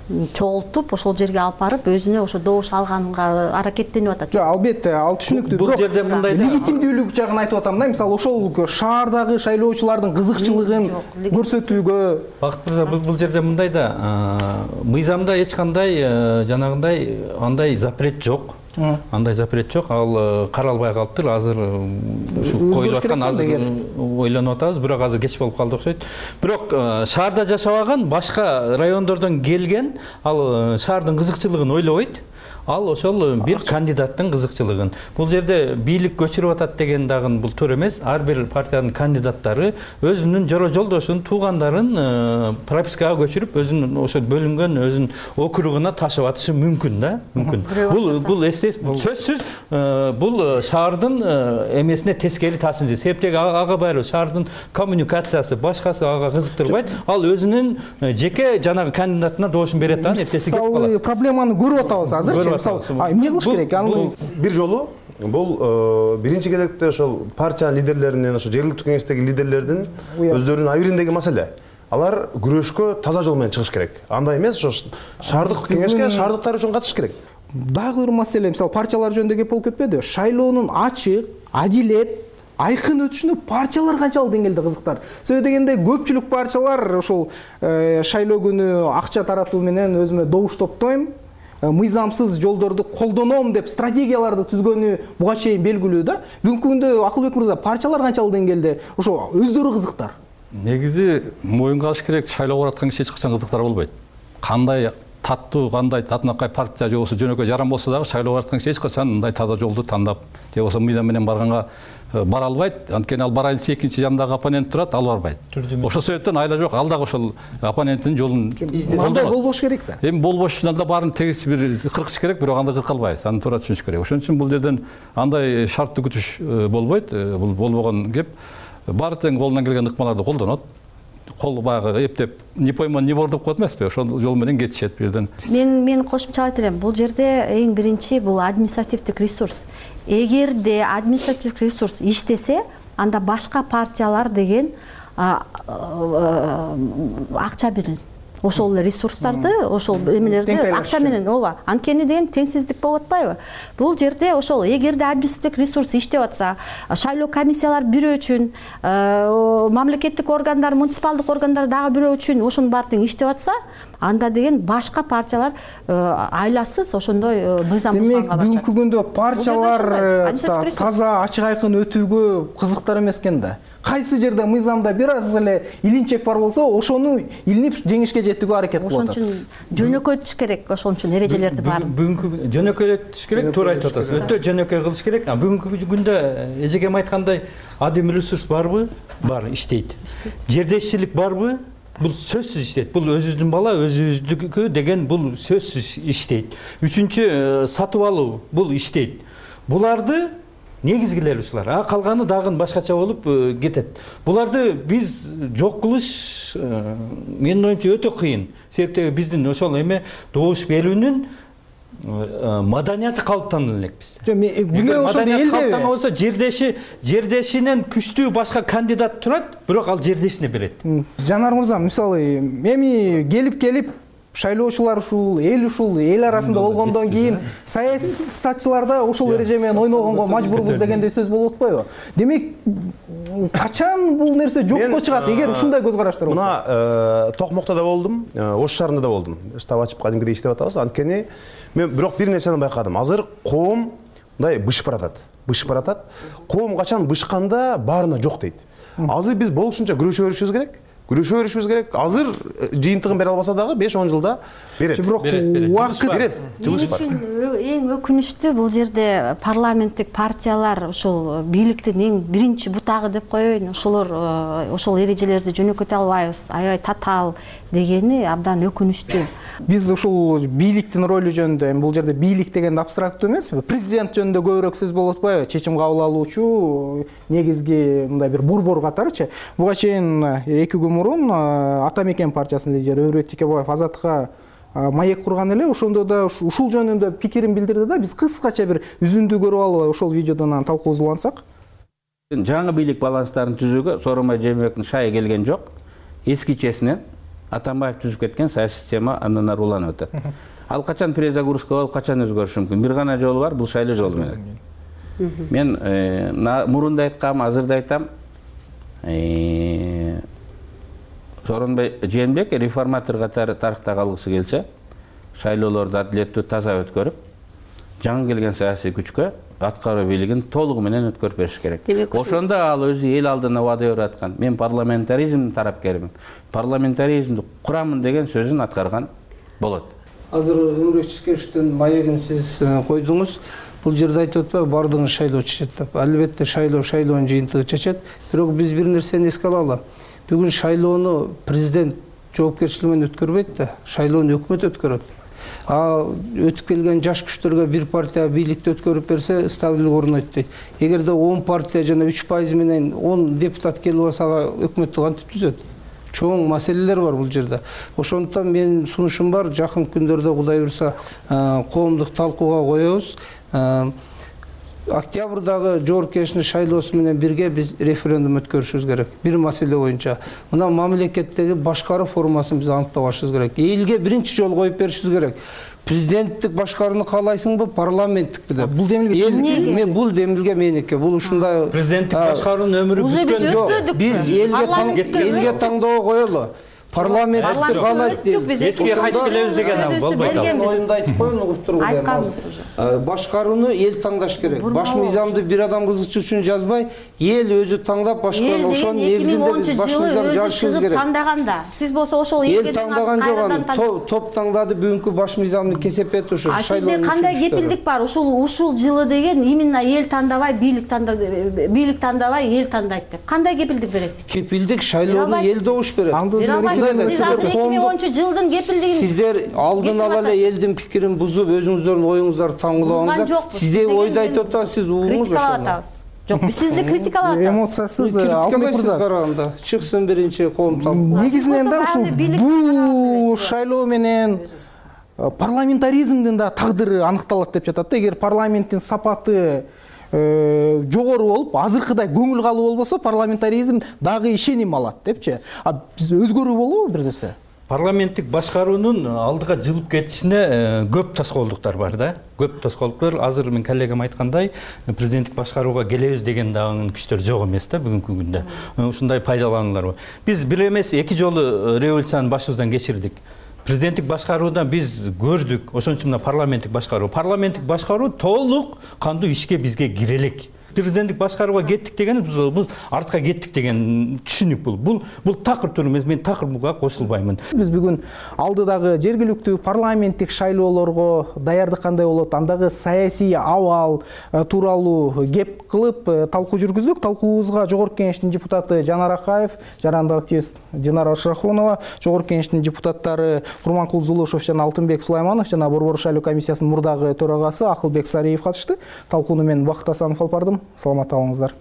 S5: чогултуп ошол жерге алып барып өзүнө ошо добуш алганга аракеттенип атат.
S8: Жок, албетте, ал түшүнүктүү.
S23: Бул жерде мындай
S8: легитимдүүлүк жагын айтып атам да. Мисалы ошол шаардагы шайлоочулардын кызыкчылыгын көрсөтүүгө.
S23: Бакыт мырза, бул жерде мындай да, мыйзамда эч кандай жанагындай андай запрет жок. Андай запрет жок, ал каралбай калыптыр. Азыр ушу коюлуп аткан, азыр ойлонуп атабыз, бирок азыр кеч болуп калды окшойт. Бирок шаарда жашабаган, башка райондордон келген, ал шаардын кызыкчылыгын ойлобойт. Ал ошол бир кандидаттын кызыкчылыгын. Бул жерде бийлик көчүрүп атат деген дагы бул туура эмес. Ар бир партиянын кандидаттары өзүнүн жора жолдошун, туугандарын пропискага көчүрүп, өзүнүн ошо бөлүнгөн өзүнүн округуна ташып атышы мүмкүн да, мүмкүн. Бул бул сөзсүз бул шаардын эмесине тескери таасир этет. Себептеги ага баары шаардын коммуникациясы, башкасы ага кызыктырбайт. Ал өзүнүн жеке жанагы кандидатына добушун берет да, эптеси кетип калат.
S8: Проблеманы көрүп атабыз азыр. Эмне кылыш керек? Аны
S20: бир жолу бул биринчи кезекте ошол партиянын лидерлеринин, ошо жергиликтүү кеңештеги лидерлердин өздөрүнүн абийириндеги маселе. Алар күрөшкө таза жол менен чыгыш керек. Андай эмес, ошо шаардык кеңешке шаардыктар үчүн катышыш керек.
S8: Дагы бир маселе, мисалы партиялар жөнүндө кеп болуп кетпеди? Шайлоонун ачык, адилет, айкын өтүшүнө партиялар канчалык деңгээлде кызыктар? Себеби дегенде көпчүлүк партиялар ошол шайлоо күнү акча таратуу менен өзүмө добуш топтойм, мыйзамсыз жолдорду колдоном деп стратегияларды түзгөнү буга чейин белгилүү да. Бүгүнкү күндө Акылбек мырза, партиялар канчалык деңгээлде ошо өздөрү кызыктар?
S9: Негизи моюнга алыш керек, шайлоо бараткан киши эч качан кызыктар болбойт. Кандай таттуу, кандай татынакай партия же болбосо жөнөкөй жаран болсо дагы шайлоо бараткан киши эч качан мындай таза жолду тандап же болбосо мыйзам менен барганга бара албайт. Анткени ал барайын десе экинчи жандагы оппонент турат, ал барбайт. Ошол себептен айла жок, ал дагы ошол оппоненттин жолун
S8: андай болбош керек да.
S9: Эми болбошунан да баарын тегиз бир кыркыш керек, бирок анда кыркы албайбыз. Аны туура түшүнүш керек. Ошон үчүн бул жерден андай шарттуу күтүш болбойт. Бул болбогон кеп. Баары тең колунан келген ыкмаларды колдонот. Кол баягы эптеп не пойман не вор деп коет эмеспи, ошол жол менен кетишет бул жерден.
S5: Мен мен кошумчалай берем. Бул жерде эң биринчи бул административдик ресурс. Эгерде административдик ресурс иштесе, анда башка партиялар деген акча берет. ошол эле ресурстарды, ошол эмелерди акча менен, ооба, анткени деген теңсиздик болуп атпайбы? Бул жерде ошол эгерде административдик ресурс иштеп атса, шайлоо комиссиялары бирөө үчүн, мамлекеттик органдар, муниципалдык органдар дагы бирөө үчүн ошонун баары тең иштеп атса, анда деген башка партиялар айласыз ошондой мыйзам бузганга башlayт.
S8: Демек, бүгүнкү күндө партиялар таза ачык айкын өтүүгө кызыктар эмес экен да. Кайсы жерде мыйзамда бир аз эле илинчек бар болсо, ошону илинип жеңишке жетүүгө аракет кылып атат.
S5: Ошон үчүн жөнөкөйтүш керек, ошон үчүн эрежелерди баарын.
S23: Бүгүнкү жөнөкөйтүш керек, туура айтып атасыз. Өтө жөнөкөй кылыш керек. Бүгүнкү күндө эжегем айткандай, адим ресурс барбы? Бар, иштейт. Жердешчилик барбы? Бул сөзсүз иштейт. Бул өзүбүздүн бала, өзүбүздүкү деген бул сөзсүз иштейт. Үчүнчү, сатып алуу, бул иштейт. Буларды негизгилери ушулар. А калганы дагы башкача болуп кетет. Буларды биз жок кылыш менин оюмча өтө кыйын. Себептеги биздин ошол эме добуш берүүнүн маданияты калыптана элек биз. Бүгүн маданият калыптана болсо, жердеши жердешинен күчтүү башка кандидат турат, бирок ал жердешине берет.
S8: Жанар мырза, мисалы, эми келип-келип шайлоочулар ушул, эл ушул, эл арасында болгондон кийин саясатчылар да ошол эреже менен ойногонго мажбурбуз дегендей сөз болуп атпайбы? Демек, качан бул нерсе жокко чыгат, эгер ушундай көз караштар болсо?
S20: Мына Токмокто да болдум, Ош шаарында да болдум. Штаб ачып кадимкидей иштеп атабыз. Анткени мен бирок бир нерсени байкадым. Азыр коом мындай бышып баратат. Бышып баратат. Коом качан бышканда баарына жок дейт. Азыр биз болушунча күрөшө беришибиз керек. Күрөшө беришибиз керек. Азыр жыйынтыгын бере албаса дагы беш он жылда берет.
S8: Бирок убакыт
S20: берет. Жылыш бар.
S5: Эң өкүнүчтүү бул жерде парламенттик партиялар ушул бийликтин эң биринчи бутагы деп коеюн. Ошолор ошол эрежелерди жөнөкөтө албайбыз, аябай татаал дегени абдан өкүнүчтүү.
S8: Биз ушул бийликтин ролу жөнүндө, бул жерде бийлик деген абстрактуу эмеспи? Президент жөнүндө көбүрөөк сөз болуп атпайбы? Чечим кабыл алуучу, негизги мындай бир борбор катарычы. Буга чейин эки күн мурун Ата Мекен партиясынын лидери Өрөт Текебаев Азатка маек курган эле, ошондо да ушул жөнүндө пикирин билдирди да. Биз кыскача бир үзүндү көрүп алып ошол видеодон талкуулансак.
S3: Жаңы бийлик баланстарын түзүүгө Сооронбай Жээнбековдун шайы келген жок. Эскичесинен Атамбаев түзүп кеткен саясий система андан ары уланып атат. Ал качан перезагрузка болуп, качан өзгөрүшү мүмкүн? Бир гана жолу бар, бул шайлоо жолу менен. Мен мурун да айткам, азыр да айтам. Сооронбай Жээнбеков реформатор катары тарыхта калгысы келсе, шайлоолорду адилеттүү, таза өткөрүп, жаңы келген саясий күчкө аткаруу бийлигин толугу менен өткөрүп бериш керек. Ошондо ал өзү эл алдына убада берип аткан, мен парламентаризмдин тарапкермин, парламентаризмди курамын деген сөзүн аткарган болот.
S7: Азыр Өмүрбек Чекеровдун маегин сиз койдуңуз. Бул жерде айтып атпайбы, бардыгын шайлоо чечет деп. Албетте шайлоо шайлоонун жыйынтыгы чечет. Бирок биз бир нерсени эске алалы. Бүгүн шайлоону президент жоопкерчилиги менен өткөрбөйт да, шайлоону өкмөт өткөрөт. А өтүп келген жаш күчтөргө бир партия бийликти өткөрүп берсе, стабилдик орнойт дейт. Эгерде он партия жана үч пайыз менен он депутат келип алса, өкмөттү кантип түзөт? Чоң маселелер бар бул жерде. Ошондуктан менин сунушум бар, жакын күндөрдө Кудай буйрса коомдук талкууга коебуз. Октябрдагы жогорку кеңештин шайлоосу менен бирге биз референдум өткөрүшүбүз керек. Бир маселе боюнча. Мына мамлекеттеги башкаруу формасын биз аныктап алышыбыз керек. Элге биринчи жолу коюп беришибиз керек. Президенттик башкарууну каалайсыңбы, парламенттикпи деп.
S8: Бул демилге сиздики?
S7: Мен бул демилге меники. Бул ушундай
S23: президенттик башкаруунун өмүрү бүткөн жок.
S7: Биз элге таңдоого коелу. Парламенттик каалайт.
S23: Эске кайтып келебиз деген болбойт.
S7: Оюмду айтып коеюн, угуп туруңуз.
S5: Айтканбыз уже.
S7: Башкарууну эл таңдаш керек. Баш мыйзамды бир адам кызыкчы үчүн жазбай, эл өзү таңдап башкарууну ошонун негизинде биз баш мыйзам жазышыбыз керек.
S5: Тандаганда, сиз болсо ошол элге
S7: таңдаган жок, топ таңдады, бүгүнкү баш мыйзамды кесип берди ошо
S5: шайлоо. А сизде кандай кепилдик бар? Ушул ушул жылы деген именно эл тандабай, бийлик тандабай, бийлик тандабай, эл тандайт деп. Кандай кепилдик бересиз?
S7: Кепилдик шайлоону эл добуш берет.
S5: Сиз азыр эки миң онунчу жылдын кепилдигин
S7: сиздер алдын ала эле элдин пикирин бузуп, өзүңүздөрдүн оюңуздарды таңгылабаңыздар. Сизде ойду айтып атат, сиз угуңуз ошону.
S5: Жок, биз сизди критикалап атабыз.
S8: Эмоциясыз Алтынбек мырза
S7: караганда чыксын биринчи коом талкуу.
S8: Негизинен да ушул бул шайлоо менен парламентаризмдин да тагдыры аныкталат деп жатат да. Эгер парламенттин сапаты жогору болуп, азыркыдай көңүл калуу болбосо, парламентаризм дагы ишеним алат депчи. А биз өзгөрүү болобу бир нерсе?
S23: парламенттик башкаруунун алдыга жылып кетишине көп тоскоолдуктар бар да. Көп тоскоолдуктар. Азыр мен коллегам айткандай, президенттик башкарууга келебиз деген дагы күчтөр жок эмес да бүгүнкү күндө. Ушундай пайдалануулар бар. Биз бир эмес эки жолу революцияны башыбыздан кечирдик. Президенттик башкаруудан биз көрдүк. Ошон үчүн мына парламенттик башкаруу. Парламенттик башкаруу толук кандуу ишке бизге кире элек. Президенттик башкарууга кеттик деген биз артка кеттик деген түшүнүк бул. Бул бул такыр тур эмес, мен такыр буга кошулбаймын.
S8: Биз бүгүн алдыдагы жергиликтүү парламенттик шайлоолорго даярдык кандай болот, андагы саясий абал тууралуу кеп кылып талкуу жүргүздүк. Талкуубузга Жогорку Кеңештин депутаты Жанар Акаев, жарандык активист Динара Ашрахунова, Жогорку Кеңештин депутаттары Курманкул Зулушев жана Алтынбек Сулайманов жана Борбор шайлоо комиссиясынын мурдагы төрагасы Акылбек Сариев катышты. Талкууну мен Бакыт Асанов алып бардым. Саламат калыңыздар.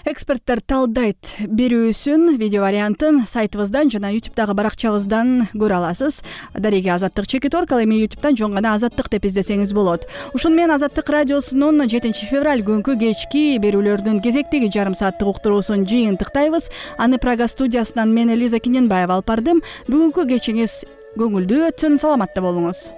S1: Эксперттер талдайт берүүсүн видео вариантын сайтыбыздан жана ютубтагы баракчабыздан көрө аласыз. Дареги Азаттык Чекиторг, ал эми ютубтан жөн гана Азаттык деп издесеңиз болот. Ушун менен Азаттык радиосунун жетинчи февраль күнкү кечки берүүлөрдүн кезектеги жарым сааттык уктуруусун жыйынтыктайбыз. Аны Прага студиясынан мен Элиза Киненбаева алып бардым. Бүгүнкү кечиңиз көңүлдүү өтсүн, саламатта болуңуз.